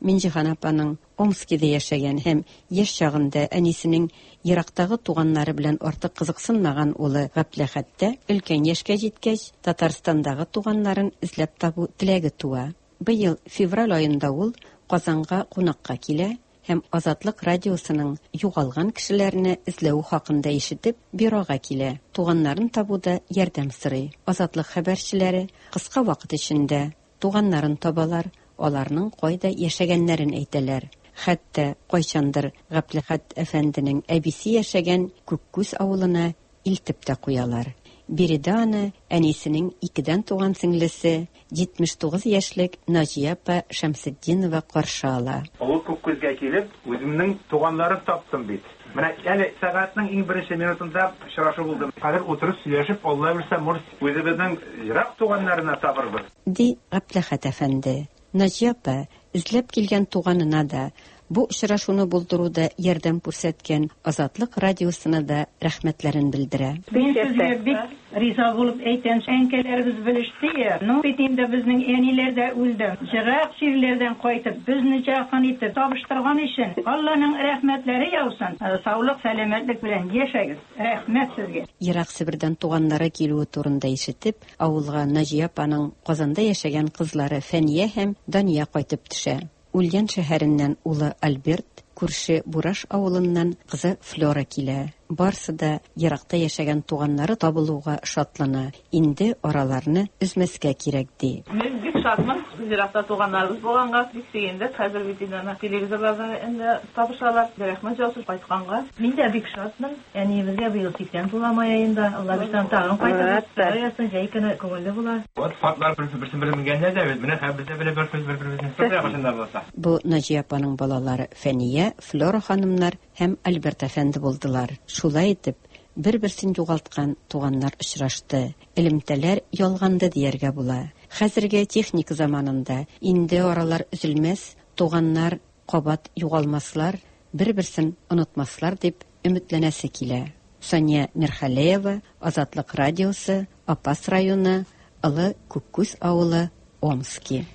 Минҗихан апаның Омскида яшәгән һәм яшь чагында әнисенең ерактагы туганнары белән артык кызыксынмаган улы Габделәхәттә өлкән яшькә җиткәч, Татарстандагы туганнарын эзләп табу теләге туа. Быел февраль аенда ул Казанга кунакка килә һәм Азатлык радиосының югалган кешеләрне эзләү хакында ишетеп, бюрога килә. Туганнарын табуда ярдәм сорый. Азатлык хәбәрчеләре кыска вакыт эчендә туганнарын табалар, аларның кайда яшәгәннәрен әйтәләр. Хәтта кайчандыр Гәпләхәт әфәнденең әбисе яшәгән Күккүз авылына илтеп тә куялар. Биредә аны әнисенең икедән туган сеңлесе җитмеш тугыз яшьлек Наҗия апа Шәмсетдинова каршы ала. Олы Күккүзгә килеп, үземнең туганнарын таптым бит. Менә әле сәгатьнең иң беренче минутында очрашу булды. Хәзер утырып сөйләшеп, Алла бирсә, мур үзебезнең ерак туганнарына табырбыз. Ди Гәпләхәт әфәнде. Наҗия апа эзләп килгән туганына да, бу очрашуны булдыруда ярдәм күрсәткән Азатлык радиосына да рәхмәтләрен белдерә. Мин сезгә бик риза булып әйтәм, әнкәләребез белеште я. Ну, бит инде безнең әниләр дә үлде. Ерак җирләрдән кайтып, безне якын итеп табыштырган өчен Алланың рәхмәтләре яусын. Саулык, сәламәтлек белән яшәгез. Рәхмәт сезгә. Ерак Себердән туганнары килүе турында ишетеп, авылга Наҗия апаның Казанда яшәгән кызлары Фәния һәм Дания кайтып төшә. Ульян шәһәреннән улы Альберт, күрше Бураш авылыннан кызы Флора килә. Барсы да еракта яшәгән туганнары табылуга шатлана. Инде араларны өзмәскә кирәк ди. Мин бик шатмын. Еракта туганнарыбыз булганга бик сөендек. Хәзер бит инде телевизорлардан инде табышалар. Рәхмәт яусын кайтканга. Мин дә бик шатмын. Әниебезгә быел сиксән тула май аенда. Алла бирсә тагын кайтабыз. Ясын җәй көне күңелле була. Вот фартлар берсе-берсен белмәгәннәр дә бит. Менә хәзер без дә белеп бер-беребезне кайчанда булса. Бу Наҗия апаның балалары Фәния, Флора ханымнар һәм Альберт әфәнде булдылар. Шулай итеп, бер-берсен югалткан туганнар очрашты. Элемтәләр ялганды дияргә була. Хәзерге техника заманында инде аралар өзелмәс, туганнар кабат югалмаслар, бер-берсен онытмаслар дип өметләнәсе килә. Сания Мирхалеева, Азатлык радиосы, Апас районы, Олы Күккүз авылы, Омски.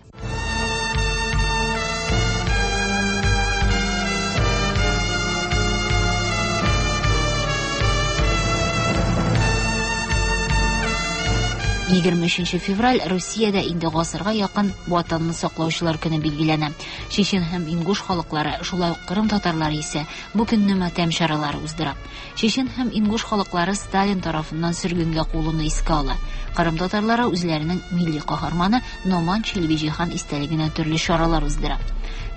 егерме өченче февраль Русиядә инде гасырга якын Ватанны саклаучылар көне билгеләнә. Чечен һәм ингуш халыклары, шулай ук Кырым татарлары исә бу көнне матәм чаралары уздыра. Чечен һәм ингуш халыклары Сталин тарафыннан сөргенгә куылуны искә ала. Кырым татарлары үзләренең милли каһарманы Номан Челебиҗихан истәлегенә төрле чаралар уздыра.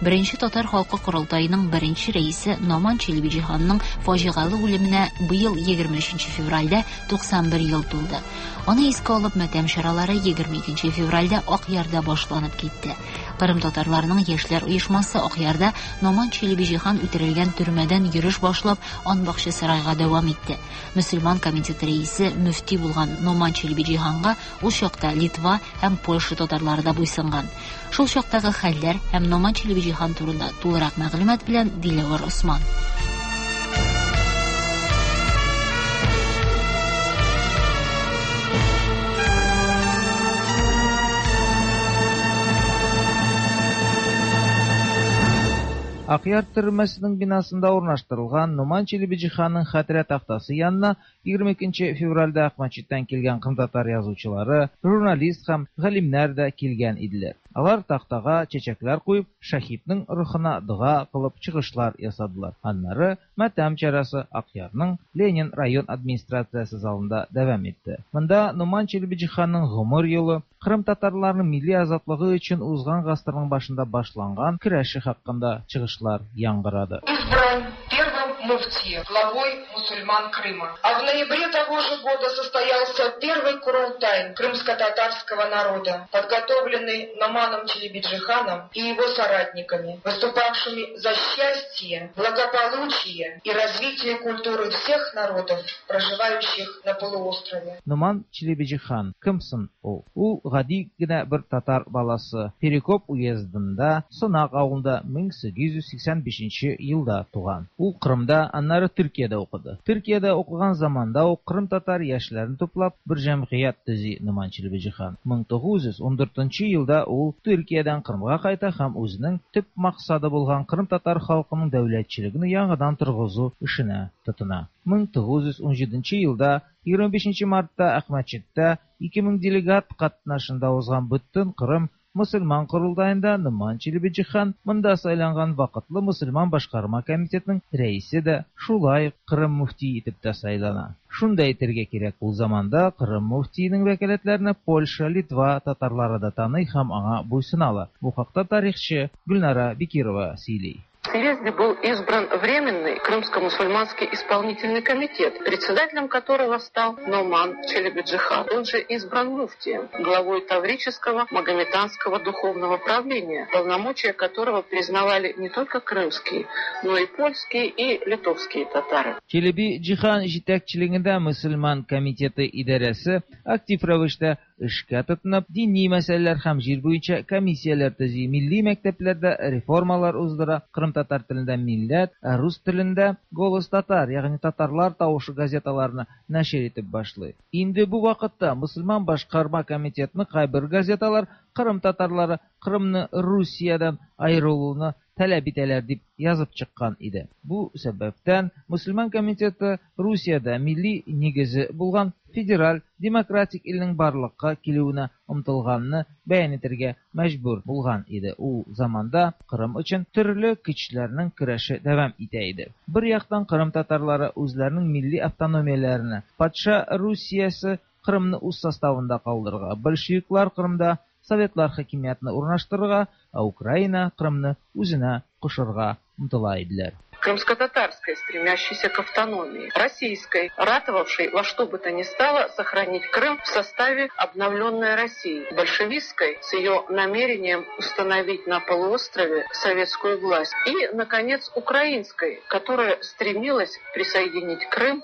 Беренче татар халкы корылтаеның беренче рәисе Номан Челебиҗиханның фаҗигале үлеменә быел егерме өченче февральдә туксан бер ел тулды. Аны искә алып матәм чаралары егерме икенче февральдә Акъярда башланып китте. Кырым татарларының яшьләр оешмасы Акъярда Номан Челебиҗихан үтерелгән төрмәдән йөреш башлап Анбакчы сарайга дәвам итте. Мөселман комитеты рәисе мөфти булган Номан Челебиҗиханга ул чакта Литва һәм Польша татарлары да буйсынган. Шул чактагы хәлләр һәм Номан Челебиҗихан турында тулырак мәгълүмат белән Диләвәр Осман. Акъяр төрмәсенең бинасында урнаштырылган Номан Челебиҗиханның хәтирә тактасы янына егерме икенче февральдә Акмәчеттән килгән кырымтатар язучылары, журналист һәм галимнәр дә килгән иделәр. Алар тактага чәчәкләр куеп, шәһиднең рухына дога кылып чыгышлар ясадылар. Аннары матәм чарасы Акъярның Ленин район администрациясе залында дәвам итте. Монда Номан Челебиҗиханның гомер юлы, Кырым татарларының милли азатлыгы өчен узган гасырның башында башланган көрәше хакында чыгышлар яңгырады. Избран первым муфти, главой мусульман Крыма. А в ноябре того же года состоялся первый курултай крымско-татарского народа, подготовленный Номаном Челебиджиханом и его соратниками, выступавшими за счастье, благополучие и развитие культуры всех народов, проживающих на полуострове. Номан Челебиджихан кем соң ул? Ул гади генә бер татар баласы. Перекоп уездында, Сынак авылында мең сигез йөз сиксән бишенче елда туган. Ул Кырымда, аннары Төркиядә укыды. Төркиядә укыган заманда ук Кырым татар яшьләрен туплап бер җәмгыять төзи Номан Челебиҗихан. мең тугыз йөз ундүртенче елда ул Төркиядән Кырымга кайта һәм үзенең төп максаты булган Кырым татар халкының дәүләтчелеген яңадан торгызу эшенә тотына. мең тугыз йөз унҗиденче елда егерме бишенче мартта Акмәчеттә ике мең делегат катнашында узган бөтен Кырым мөселман корылтаенда Номан Челебиҗихан монда сайланган вакытлы мөселман башкарма комитетының рәисе дә шулай Кырым мөфти итеп тә сайлана. Шунда әйтергә кирәк, ул заманда Кырым мөфтиенең вәкаләтләрен Польша, Литва татарлары да таный һәм аңа буйсыналар. Бу хакта тарихчы Гөлнара Бекирова сөйли. В съезде был избран временный Крымско-мусульманский исполнительный комитет, председателем которого стал Номан Челебиджихан. Он же избран муфтием, главой Таврического магометанского духовного правления, полномочия которого признавали не только крымские, но и польские и литовские татары. Челебиджихан җитәкчелегендә мөселман комитеты идарәсе актив рәвештә эшкә тотынып, дини мәсьәләләр һәм җир буенча комиссияләр төзи, милли мәктәпләрдә реформалар уздыра, кырымтатар телендә Милләт, ә рус телендә Голос татар, ягъни татарлар тавышы газеталарны нәшер итеп башлый. Инде бу вакытта мөселман башкарма комитетының кайбер газеталар Кырым татарлары Кырымны Русиядән аерылуны таләп итәләр дип язып чыккан иде. Бу сәбәптән мөселман комитеты Русиядә милли нигезе булган федераль демократик илнең барлыкка килүенә омтылганны бәян итәргә мәҗбүр булган иде. Ул заманда Кырым өчен төрле көчләрнең көрәше дәвам итә иде. Бер яктан Кырым татарлары үзләренең милли автономияләренә, патша Русиясе Кырымны үз составында калдырырга, большевиклар Кырымда Советлар хакимиятны урнаштырырга, ә Украина Кырымны үзенә кушырга омтыла иделәр. Крымско-татарской, стремящейся к автономии, российской, ратовавшей во что бы то ни стало сохранить Крым в составе обновленной России, большевистской, с ее намерением установить на полуострове советскую власть, и, наконец, украинской, которая стремилась присоединить Крым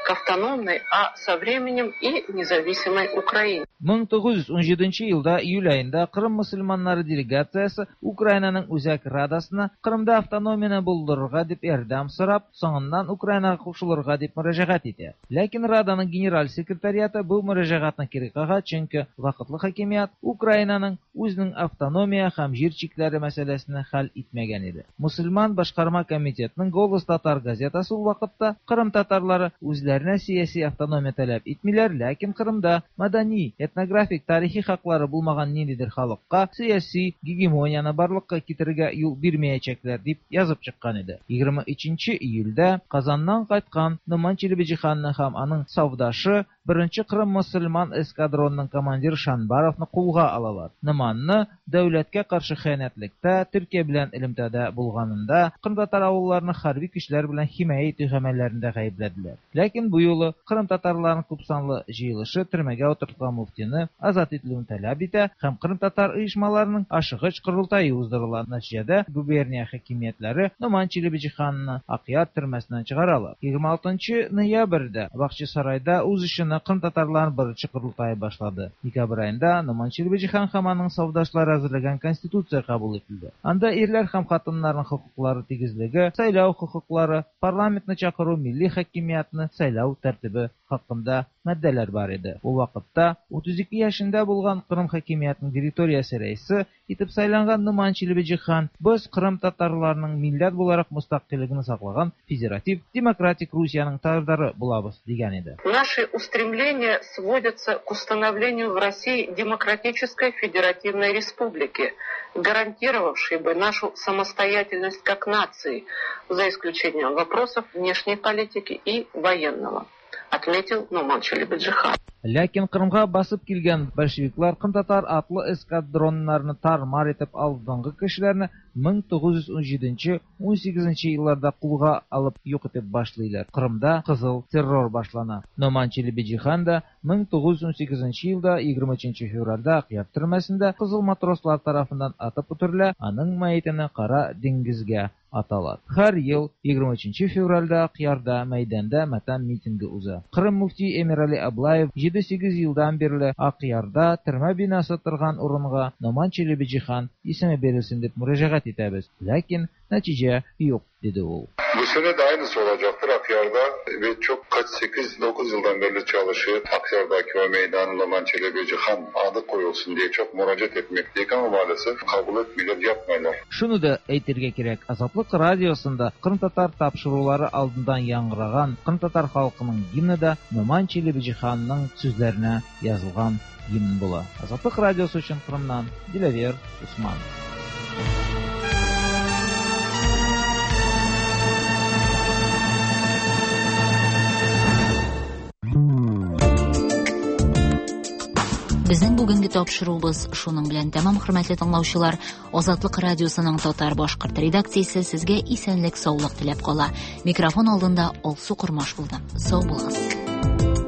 к автономной, а со временем и независимой Украине. мең тугыз йөз унҗиденче елда июль аенда Кырым мөселманнары делегациясе Украинаның Үзәк Радасына Кырымда автономияне булдырырга дип ярдәм сорап, соңыннан Украинага кушылырга дип мөрәҗәгать итә. Ләкин Раданың генераль секретариаты бу мөрәҗәгатьне кире кага, чөнки вакытлы хакимият Украинаның үзенең автономия һәм җир чикләре мәсьәләсен хәл итмәгән иде. Мөселман башкарма комитетының Голос татар газетасы ул вакытта Кырым татарлары үзләренә сәяси автономия таләп итмиләр, ләкин Кырымда мәдәни, этнографик, тарихи хаклары булмаган ниндидер халыкка сәяси гегемонияне барлыкка китерергә юл бирмәячәкләр дип язып чыккан иде. егерме өченче июльдә Казаннан кайткан Номан Челебиҗиханны һәм аның савдашы беренче Кырым мөселман эскадронының командиры Шанбаровны кулга алалар. Номанны дәүләткә каршы хыянәтлектә, Төркия белән элемтәдә булганында, Кырым татар авылларны хәрби көчләр белән химая итү гамәлләрендә гаепләделәр. Ләкин бу юлы Кырым татарларының күпсанлы җыелышы төрмәгә утыртылган муфтины азат ителүен таләп итә һәм Кырым татар оешмаларының ашыгыч корылтае уздырыла. Нәтиҗәдә губерния хакимиятләре Номан Челебиҗиханны Акъяр төрмәсеннән чыгаралар. егерме алтынчы ноябрьдә Бакчасарайда үз эшен Кырым татарларының беренче корылтае башлады. Декабрь аенда Номан Челебиҗихан һәм аның савдашлары әзерләгән конституция кабул ителде. Анда ирләр һәм хатыннарның хокуклары тигезлеге, сайлау хокуклары, парламентны чакыру, милли хакимиятны сайлау тәртибе хакында маддәләр бар иде. Ул вакытта утыз ике яшендә булган Кырым хакимиятының директориясе рәисе итеп сайланган Номан Челебиҗихан без Кырым татарларының милләт буларак мөстәкыйльлеген саклаган федератив демократик Русиянең тарафдары булабыз дигән иде. Наши устремления сводятся к установлению в России демократической федеративной республики, гарантировавшей бы нашу самостоятельность как нации, за исключением вопросов внешней политики и военного, отметил Номан Челебиджихан. Ләкин Кырымга басып килгән большевиклар Кырым татар атлы эскадроннарны тар-мар итеп алдынгы кешеләрне мең тугыз йөз унҗиденче унсигезенче елларда кулга алып юк итеп башлыйлар. Кырымда кызыл террор башлана. Номан Челебиҗихан да мең тугыз йөз унсигезенче елда егерме өченче февральдә Акъяр төрмәсендә кызыл матрослар тарафыннан атып үтерелә, аның мәетен Кара диңгезгә аталар. Һәр ел егерме өченче февральдә Акъярда мәйданда матәм митингы уза. Кырым муфти Эмирали Аблаев җиде-сигез елдан бирле Акъярда төрмә бинасы торган урынга Номан Челебиҗихан исеме бирелсен дип мөрәҗәгать итәбез. Ләкин нәтиҗә юк, диде ул. Bu sene de aynısı olacaktır Akyar'da ve çok kaç sekiz dokuz yıldan beri çalışıyor. Akyar'daki o meydanın Noman Çelebicihan adı koyulsun diye çok müracaat etmekteyik ama maalesef kabul etmiyorlar, yapmıyorlar. Şunu da әйтергә кирәк, Азатлык радиосында Кырым татар тапшырулары алдыннан яңгыраган Кырым татар халкының гимны да Номан Çelebicihanның сүзләренә язылган гимн була. Азатлык радиосы өчен Кырымнан Диләвер Усманов. Безнең бу Бүгенге тапшыруыбыз шуның белән тәмам, хөрмәтле тыңлаучылар. Азатлык радиосының татар-башкорт редакциясе сезгә исәнлек, саулык теләп кала. Микрофон алдында Алсу Кормаш булды. Сау булыгыз.